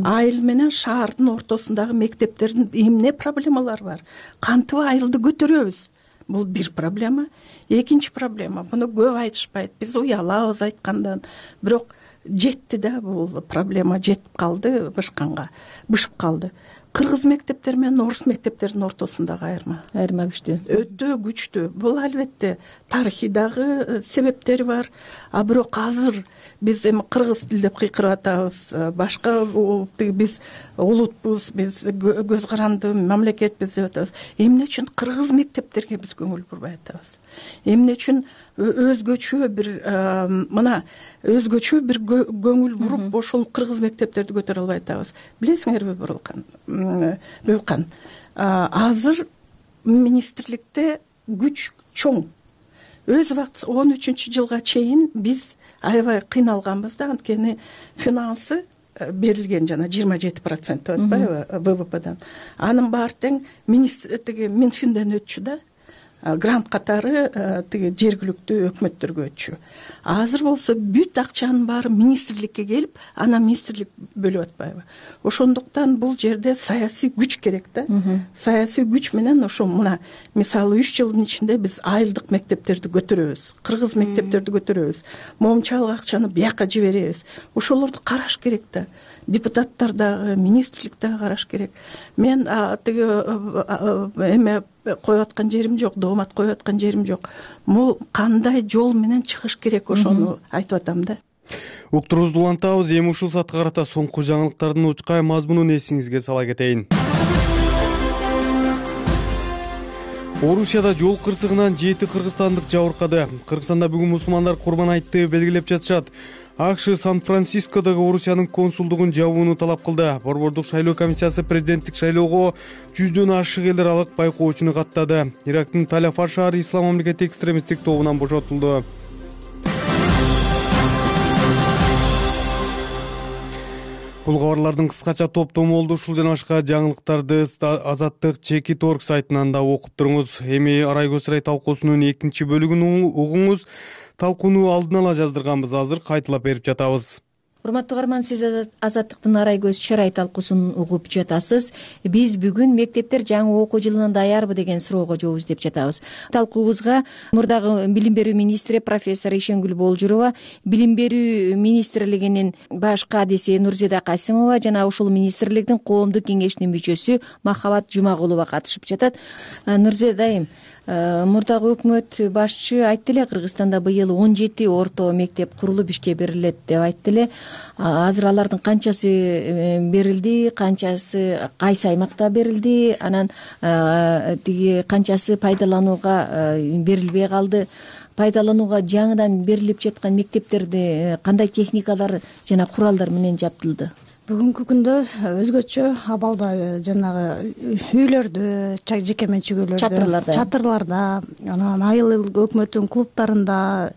Айыл менен шаардын ортосундагы мектептердин эмне проблемалары бар, кантип айылды көтөрөбүз, бул бир проблема. Экинчи проблема, буну көп айтышпайт, биз уялабыз айткандан, бирок жетти да, бул проблема жетип калды, бышканга бышып калды. Кыргыз мектептери менен орус мектептеринин ортосундагы айырма айырма күчтүү, өтө күчтүү. Бул албетте тарыхый дагы себептери бар, а бирок азыр биз эми кыргыз тил деп кыйкырып атабыз, башка биз улутпуз, биз көз каранды мамлекетпиз деп атабыз. Эмне үчүн кыргыз мектептерге биз көңүл бурбай атабыз? Эмне үчүн өзгөчө бир мына өзгөчө бир көңүл буруп ошол кыргыз мектептерди көтөрө албай атабыз? Билесиңерби Бурулкан, Бөкан, азыр министрликте күч чоң. Өз убакыт он үчүнчү жылга чейин биз аябай кыйналганбыз да, анткени финансы берилген жана жыйырма жети процент деп атпайбы вэ вэ пэдан. Анын баары тең тиги Минфинден өтчү да, грант катары тиги жергиликтүү өкмөттөргө өтчү. Азыр болсо бүт акчанын баары министрликке келип, анан министрлик бөлүп атпайбы? Ошондуктан бул жерде саясий күч керек да. Саясий күч менен ошо мына мисалы үч жылдын ичинде биз айылдык мектептерди көтөрөбүз, кыргыз мектептерди көтөрөбүз, моомчалык акчаны бияка жиберебиз. Ошолорду караш керек да. Депутаттар дагы, министрлик дагы караш керек. Мен тиги эме коюп аткан жерим жок, доомат коюп аткан жерим жок. Бул кандай жол менен чыгыш керек, ошону айтып атам да. Уктуруубузду улантабыз. Эми ушул саатка карата соңку жаңылыктардын учкай мазмунун эсиңизге сала кетейин. Орусияда жол кырсыгынан жети кыргызстандык жабыркады. Кыргызстанда бүгүн мусулмандар Курбан айтты белгилеп жатышат. АКШ Сан-Францискодогу Орусиянын консулдугун жабууну талап кылды. Борбордук шайлоо комиссиясы президенттик шайлоого жүздөн ашык эл аралык байкоочуну каттады. Ирактын Таль-Афар шаары Ислам мамлекети экстремисттик тобунан бошотулду. Бул кабарлардын кыскача топтому болду. Ушул жана башка жаңылыктарды Азаттык Чекит точка орг сайтынан да окуп туруңуз. Эми Арай көз сарай талкуусунун экинчи бөлүгүн угуңуз. Талкууну алдын ала жаздырганбыз, азыр кайталап берип жатабыз. Урматтуу угарман, сиз Азаттыктын Арай көз чарай талкуусун угуп жатасыз. Биз бүгүн мектептер жаңы окуу жылына даярбы деген суроого жооп издеп жатабыз. Талкуубузга мурдагы билим берүү министри профессор Ишенгүл Болжурова, билим берүү министрлигинин баш кадиси Нурзеда Касимова жана ушул министрликтин коомдук кеңешинин мүчөсү Махабат Жумагулова катышып жатат. Нурзеда айым, мурдагы өкмөт башчы айтты эле, Кыргызстанда быйыл он жети орто мектеп курулуп ишке берилет деп айтты эле. Азыр алардын канчасы берилди, канчасы кайсы аймакта берилди, анан тиги канчасы пайдаланууга берилбей калды? Пайдаланууга жаңыдан берилип жаткан мектептерди кандай техникалар жана куралдар менен жабдылды? Бүгүнкү күндө өзгөчө абалда жанагы үйлөрдө, жеке менчик үйлөрдө, чатырларда, чатырларда, анан айыл өкмөттүн клубтарында,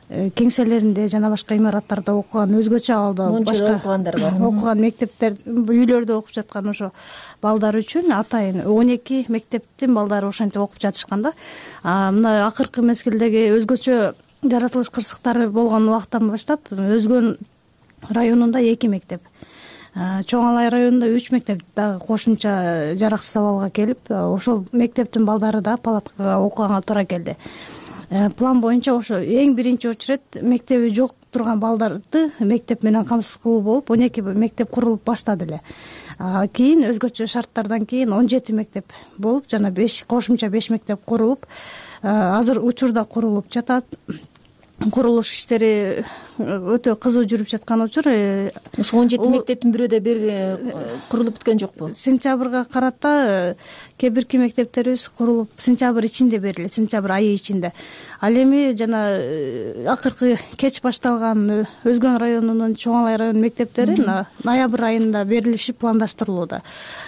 кеңселеринде жана башка имараттарда окуган, өзгөчө абалда башка окугандар бар. Окуган мектептер, үйлөрдө окуп жаткан ошо балдар үчүн атайын он эки мектептин балдары ошентип окуп жатышкан да. Мына акыркы мезгилдеги өзгөчө жаратылыш кырсыктары болгон убакыттан баштап Өзгөн районунда эки мектеп, Чоң Алай районунда үч мектеп дагы кошумча жараксыз абалга келип, ошол мектептин балдары да палаткага окуганга туура келди. План боюнча ошо эң биринчи очеред мектеби жок турган балдарды мектеп менен камсыз кылуу болуп, он эки мектеп курулуп баштады эле. Кийин өзгөчө шарттардан кийин он жети мектеп болуп, жана беш кошумча беш мектеп курулуп, азыр учурда курулуп жатат. Курулуш иштери өтө кызуу жүрүп жаткан учур. Ошо он жети мектептин бирөөдө бир курулуп бүткөн жокпу? Сентябрга карата кээ бирки мектептерибиз курулуп сентябрь ичинде берилди, сентябрь айы ичинде. Ал эми жана акыркы кеч башталган Өзгөн районунун Чоң Алай районунун мектептери ноябрь айында берилиши пландаштырылууда.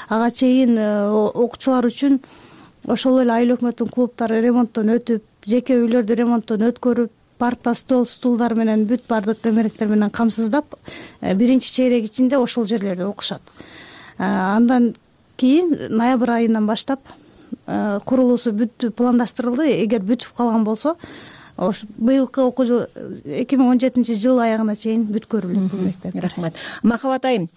Ага чейин окуучулар үчүн ошол эле айыл өкмөттүн клубтары ремонттон өтүп, жеке үйлөрдү ремонттон өткөрүп, парта, стол, стулдар менен бүт бардык төмөрөктөр менен камсыздап, биринчи чейрек ичинде ошол жерлерде окушат. Андан кийин ноябрь айынан баштап курулуусу бүт пландаштырылды. Эгер бүтүп калган болсо, ош быйылкы окуу жыл эки миң он жетинчи жыл аягына чейин бүткөрүлөт бул мектеп. Рахмат. Махабат айым,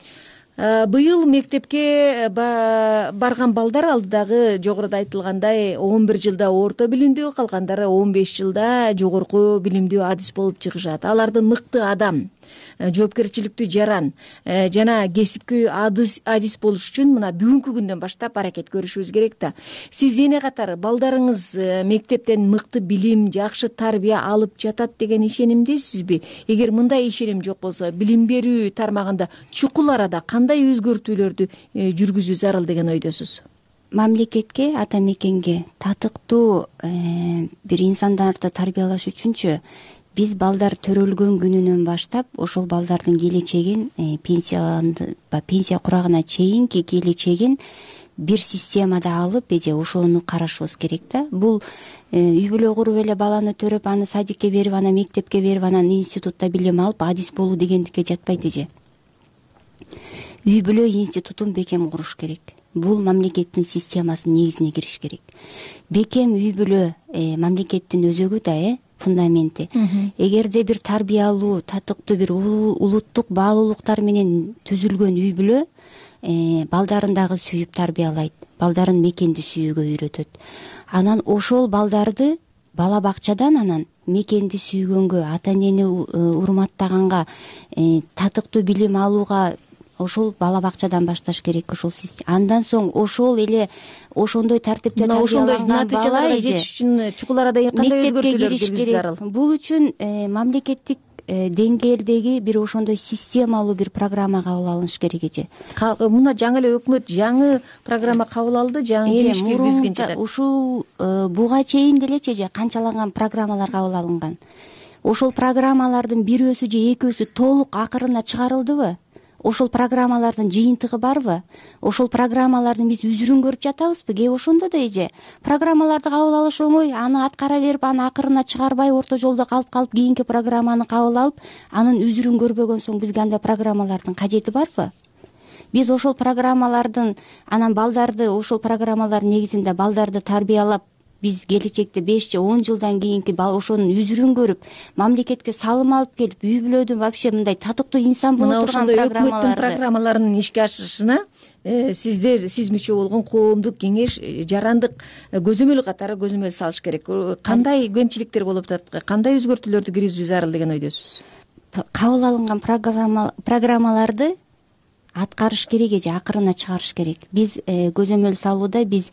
быйыл мектепке барган балдар алдыдагы жогоруда айтылгандай он бир жылда орто билимдүү, калгандары он беш жылда жогорку билимдүү адис болуп чыгышат. Аларды мыкты адам, жоопкерчиликтүү жаран жана кесипкөй адис болуш үчүн мына бүгүнкү күндөн баштап аракет көрүшүбүз керек да. Сиз эне катары балдарыңыз мектептен мыкты билим, жакшы тарбия алып жатат деген ишенимдесизби? Эгер мындай ишеним жок болсо, билим берүү тармагында чукул арада кандай өзгөртүүлөрдү жүргүзүү зарыл деген ойдосуз? Мамлекетке, ата мекенге татыктуу бир инсандарды тарбиялаш үчүнчү биз балдар төрөлгөн күнүнөн баштап ошол балдардын келечегин пенсия пенсия курагына чейинки келечегин бир системада алып эже ошону карашыбыз керек да. Бул үй бүлө куруп эле баланы төрөп, аны садикке берип, анан мектепке берип, анан институтта билим алып адис болуу дегендикке жатпайт эже. Үй бүлө институтун бекем куруш керек. Бул мамлекеттин системасынын негизине кириш керек. Бекем үй бүлө мамлекеттин өзөгү да, э фундаменти. Эгерде бир тарбиялуу, татыктуу бир улуттук баалуулуктар менен түзүлгөн үй бүлө балдарын дагы сүйүп тарбиялайт, балдарын мекенди сүйүүгө үйрөтөт. Анан ошол балдарды бала бакчадан анан мекенди сүйгөнгө, ата энени урматтаганга, татыктуу билим алууга ошол бала бакчадан башташ керек. Ошол андан соң ошол эле ошондой тартипте тарбияланган натыйжаларга жетиш үчүн чукул арада кандай өзгөртүүлөр киргизүү зарыл? Бул үчүн мамлекеттик деңгээлдеги бир ошондой системалуу бир программа кабыл алыныш керек эже. Мына жаңы эле өкмөт жаңы программа кабыл алды, жаңы эмиш киргизген жатат. Ушул буга чейин делечи эже канчалаган программалар кабыл алынган. Ошол программалардын бирөөсү же экөөсү толук акырына чыгарылдыбы? Ошол программалардын жыйынтыгы барбы? Ошол программалардын биз үзүрүн көрүп жатабызбы? Кээ ошондо да эже программаларды кабыл алыш оңой, аны аткара берип, аны акырына чыгарбай, орто жолдо калып калып кийинки программаны кабыл алып, анын үзүрүн көрбөгөн соң бизге андай программалардын кажети барбы? Биз ошол программалардын анан балдарды ошол программалар негизинде балдарды тарбиялап, биз келечекте беш же он жылдан кийинки ошонун үзүрүн көрүп, мамлекетке салым алып келип, үй бүлөдүн вообще мындай татыктуу инсан боло турган программаларды, мына ошондой өкмөттүн программаларынын ишке ашышына сиздер, сиз мүчө болгон коомдук кеңеш, жарандык көзөмөл катары көзөмөл салыш керек. Кандай кемчиликтер болуп атат, кандай өзгөртүүлөрдү киргизүү зарыл деген ойдосуз? Кабыл алынган программаларды аткарыш керек эже, акырына чыгарыш керек. Биз көзөмөл салууда биз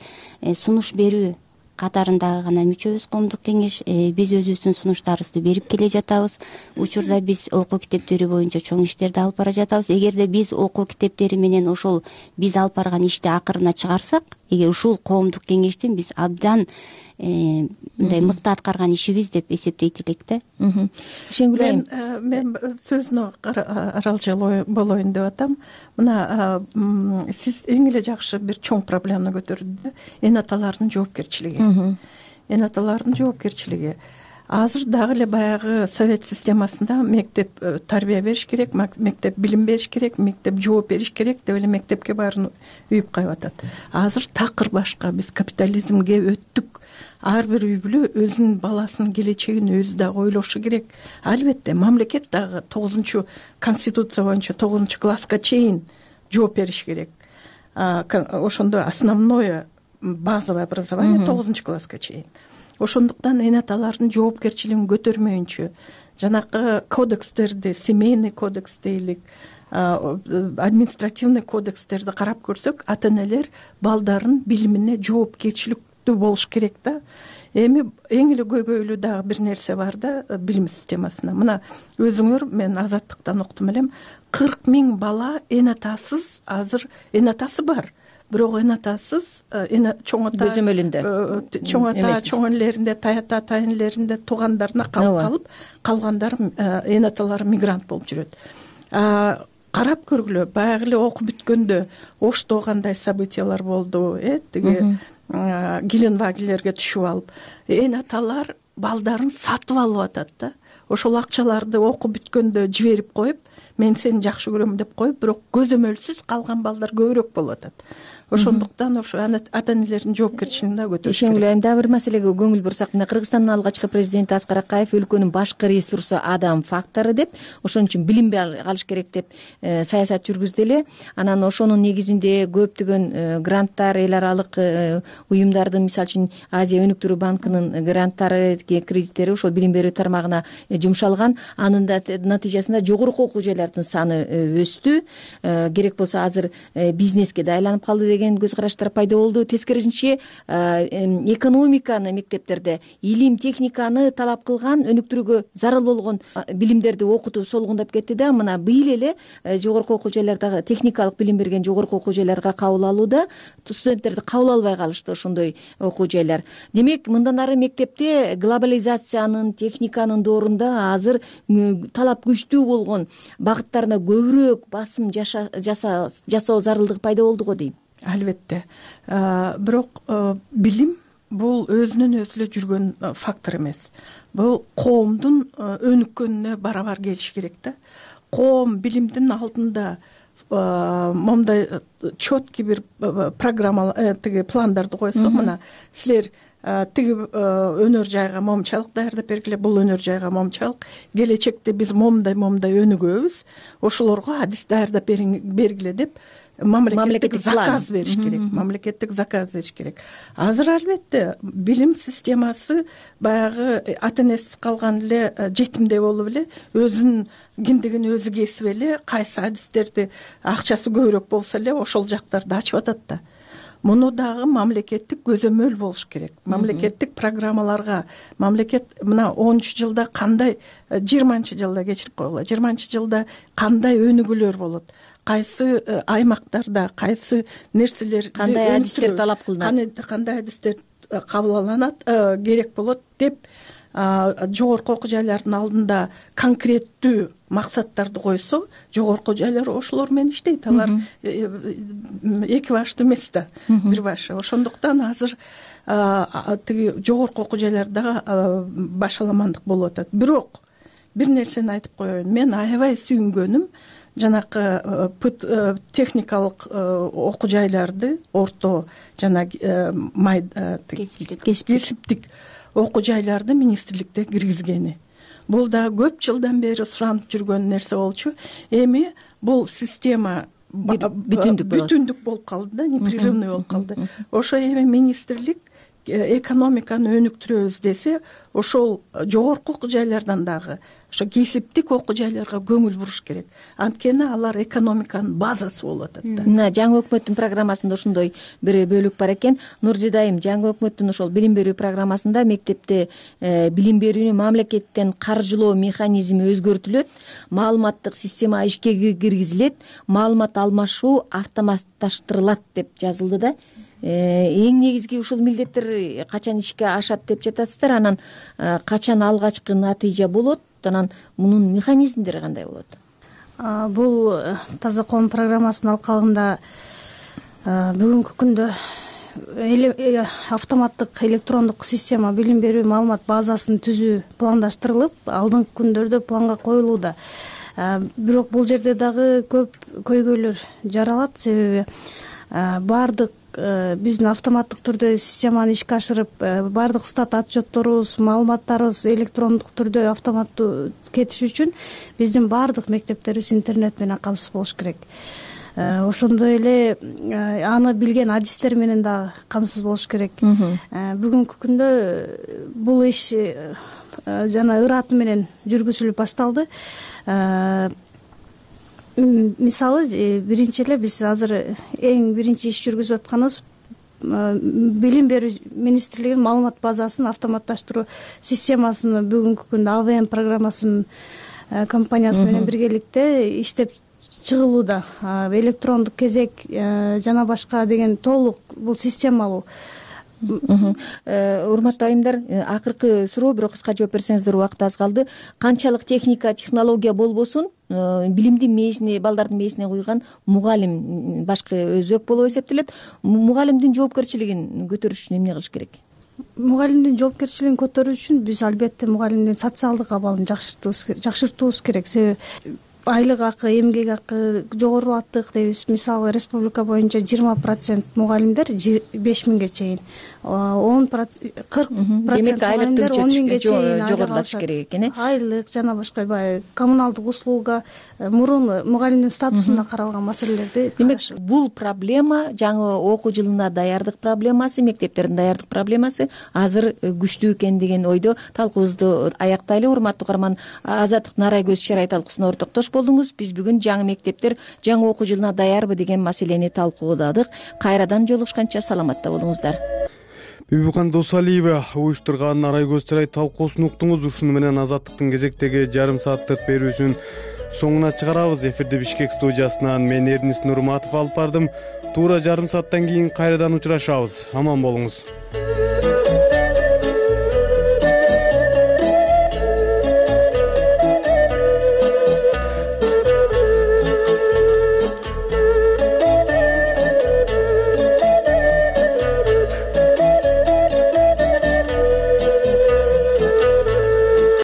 сунуш берүү катарындагы гана мүчөбүз коомдук кеңеш. Биз өзүбүздүн сунуштарыбызды берип келе жатабыз. Учурда биз окуу китептери боюнча чоң иштерди алып бара жатабыз. Эгерде биз окуу китептери менен ошол биз алып барган ишти акырына чыгарсак, эгер ушул коомдук кеңештин биз абдан мындай мыкты аткарган ишибиз деп эсептейт элек да. Шенгүл айым, мен сөзүнө аралжал болоюн деп атам. Мына сиз эң эле жакшы бир чоң проблеманы көтөрдү. Эн аталардын жоопкерчилиги. Эн аталардын жоопкерчилиги. Азыр дагы эле баягы совет системасында мектеп тарбия бериш керек, мектеп билим бериш керек, мектеп жооп бериш керек деп эле мектепке баарын үйүп кайып атат. Азыр такыр башка. Биз капитализмге өттүк. Ар бир үй бүлө өзүнүн баласынын келечегин өзү дагы ойлошу керек. Албетте мамлекет дагы тогузунчу конституция боюнча тогузунчу класска чейин жооп бериш керек. Ошондо основное базовое образование тогузунчу класска чейин. Ошондуктан эн аталардын жоопкерчилигин көтөрмөйүнчө жанакы кодекстерди, семейный кодекс дейлик, административный кодекстерди карап көрсөк, ата энелер балдарын билимине жоопкерчиликтүү болуш керек да. Эми эң эле көйгөйлүү дагы бир нерсе бар да билим системасына. Мына өзүңөр, мен Азаттыктан уктум элем, кырк миң бала эн атасыз, азыр эн атасы бар. Бирок эн атасыз, чоң ата көзөмөлүндө, чоң ата, чоң энелеринде, тайата тайынелеринде туугандарына калып калып, калгандар эн аталары мигрант болуп жүрөт. Карап көргүлө, баягы эле окуп бүткөндө Ошто кандай событиялар болду, э, тиги Геленвагелерге түшүп алып, эн аталар балдарын сатып алып атат да. Ошол акчаларды окуп бүткөндө жиберип коюп, мен сени жакшы көрөм деп коюп, бирок көзөмөлсүз калган балдар көбүрөөк болуп атат. ошондуктан ошо ата энелердин жоопкерчилигин дагы көтөрүш керек. ишенгүл айым, дагы бир маселеге көңүл бурсак, мына Кыргызстандын алгачкы президенти Аскар Акаев өлкөнүн башкы ресурсу адам фактору деп, ошон үчүн билинбей калыш керек деп саясат жүргүздү эле. Анан ошонун негизинде көптөгөн гранттар, эл аралык уюмдардын, мисалы үчүн Азия өнүктүрүү банкынын гранттары, кредиттери ошол билим берүү тармагына жумшалган. Анын да натыйжасында жогорку окуу жайлардын саны өстү. Керек болсо азыр бизнеске да айланып калды деген көз караштар пайда болду. Тескерисинче экономиканы мектептерде, илим техниканы талап кылган, өнүктүрүүгө зарыл болгон билимдерди окутуу солгундап кетти да. Мына быйыл эле жогорку окуу жайлардагы техникалык билим берген жогорку окуу жайларга кабыл алууда студенттерди кабыл албай калышты ошондой окуу жайлар. Демек, мындан ары мектепте глобализациянын, техниканын доорунда азыр талап күчтүү болгон багыттарына көбүрөөк басым жасоо зарылдыгы пайда болду го дейм. Албетте. Бирок билим бул өзүнөн өзү эле жүргөн фактор эмес. Бул коомдун өнүккөнүнө барабар келиши керек да. Коом билимдин алдында момундай четкий бир программа, тиги пландарды койсо, мына силер тиги өнөр жайга момчалык даярдап бергиле, бул өнөр жайга момчалык, келечекте биз момундай момундай өнүгөбүз, ошолорго адис даярдап бергиле деп мамлекеттик заказ бериш керек. Мамлекеттик заказ бериш керек. Азыр албетте билим системасы баягы ата энесиз калган эле жетимдей болуп эле, өзүнүн киндигин өзү кесип эле, кайсы адистерди акчасы көбүрөөк болсо эле ошол жактарды ачып атат да. Муну дагы мамлекеттик көзөмөл болуш керек. Мамлекеттик программаларга, мамлекет мына онунчу жылда кандай, жыйырманчы жылда кечирип койгула, жыйырманчы жылда кандай өнүгүүлөр болот, кайсы аймактарда кайсы нерселер, кандай адистер талап кылынат, кандай адистер кабыл алынат, керек болот деп жогорку окуу жайлардын алдында конкреттүү максаттарды койсо, жогорку жайлар ошолор менен иштейт. Алар эки баштуу эмес да, бир башы. Ошондуктан азыр тиги жогорку окуу жайларда башаламандык болуп атат. Бирок бир нерсени айтып коеюн. Мен аябай сүйүнгөнүм жанакы техникалык окуу жайларды, орто жана кесиптик окуу жайларды министрликте киргизгени. Бул да көп жылдан бери суранып жүргөн нерсе болчу. Эми бул система бүтүндүк болуп калды да, непрерывный болуп калды. Ошо эми министрлик экономиканы өнүктүрөбүз десе, ошол жогорку окуу жайлардан дагы ошо кесиптик окуу жайларга көңүл буруш керек. Анткени алар экономиканын базасы болуп атат да. Мына жаңы өкмөттүн программасында ошондой бир бөлүк бар экен. Нурзидайым, жаңы өкмөттүн ошол билим берүү программасында мектепте билим берүүнү мамлекеттен каржылоо механизми өзгөртүлөт, маалыматтык система ишке киргизилет, маалымат алмашуу автоматташтырылат деп жазылды да. Эң негизги ушул милдеттер качан ишке ашат деп жатасыздар, анан качан алгачкы натыйжа болот, анан мунун механизмдери кандай болот? Бул Таза коом программасынын алкагында бүгүнкү күндө автоматтык электрондук система билим берүү маалымат базасын түзүү пландаштырылып, алдыңкы күндөрдө планга коюлууда. Бирок бул жерде дагы көп көйгөйлөр жаралат, себеби баардык биздин автоматтык түрдө системаны ишке ашырып, баардык стат отчетторубуз, маалыматтарыбыз электрондук түрдө автоматтуу кетиш үчүн биздин баардык мектептерибиз интернет менен камсыз болуш керек. Ошондой эле аны билген адистер менен дагы камсыз болуш керек. Бүгүнкү күндө бул иш жана ыраты менен жүргүзүлүп башталды. Мисалы, биринчи эле биз азыр эң биринчи иш жүргүзүп атканыбыз билим берүү министрлигинин маалымат базасын автоматташтыруу системасын бүгүнкү күндө А В М программасынын компаниясы менен биргеликте иштеп чыгылууда. Электрондук кезек жана башка деген толук бул системалуу. Урматтуу айымдар, акыркы суроо, бирок кыска жооп берсеңиздер, убакыт аз калды. Канчалык техника, технология болбосун, билимдин мээсине, балдардын мээсине куйган мугалим башкы өзөк болуп эсептелет. Мугалимдин жоопкерчилигин көтөрүш үчүн эмне кылыш керек? Мугалимдин жоопкерчилигин көтөрүү үчүн биз албетте мугалимдин социалдык абалын жакшыртуубуз керек. Себеби айлык акы, эмгек акы жогорулаттык дейбиз. Мисалы республика боюнча жыйырма процент мугалимдер беш миңге чейин, он кырк процент айлыктын он миңге чейин жогорулатыш керек экен. Айлык жана башка баягы коммуналдык услуга, мурун мугалимдин статусуна каралган маселелерди. Демек, бул проблема жаңы окуу жылына даярдык проблемасы, мектептердин даярдык проблемасы азыр күчтүү экен деген ойдо талкуубузду аяктайлы. Урматтуу угарман, Азаттык Нарай көз чырай талкуусуна ортоктош болдуңуз. Биз бүгүн жаңы мектептер жаңы окуу жылына даярбы деген маселени талкуудадык. Кайрадан жолугушканча саламатта болуңуздар. Бибикан Досалиева уюштурган Нарай көз чырай талкуусун уктуңуз. Ушуну менен Азаттыктын кезектеги жарым сааттык берүүсүн соңуна чыгарабыз. Эфирде Бишкек студиясынан мен Эрнис Нурматов алып бардым. Туура жарым сааттан кийин кайрадан учурашабыз. Аман болуңуз.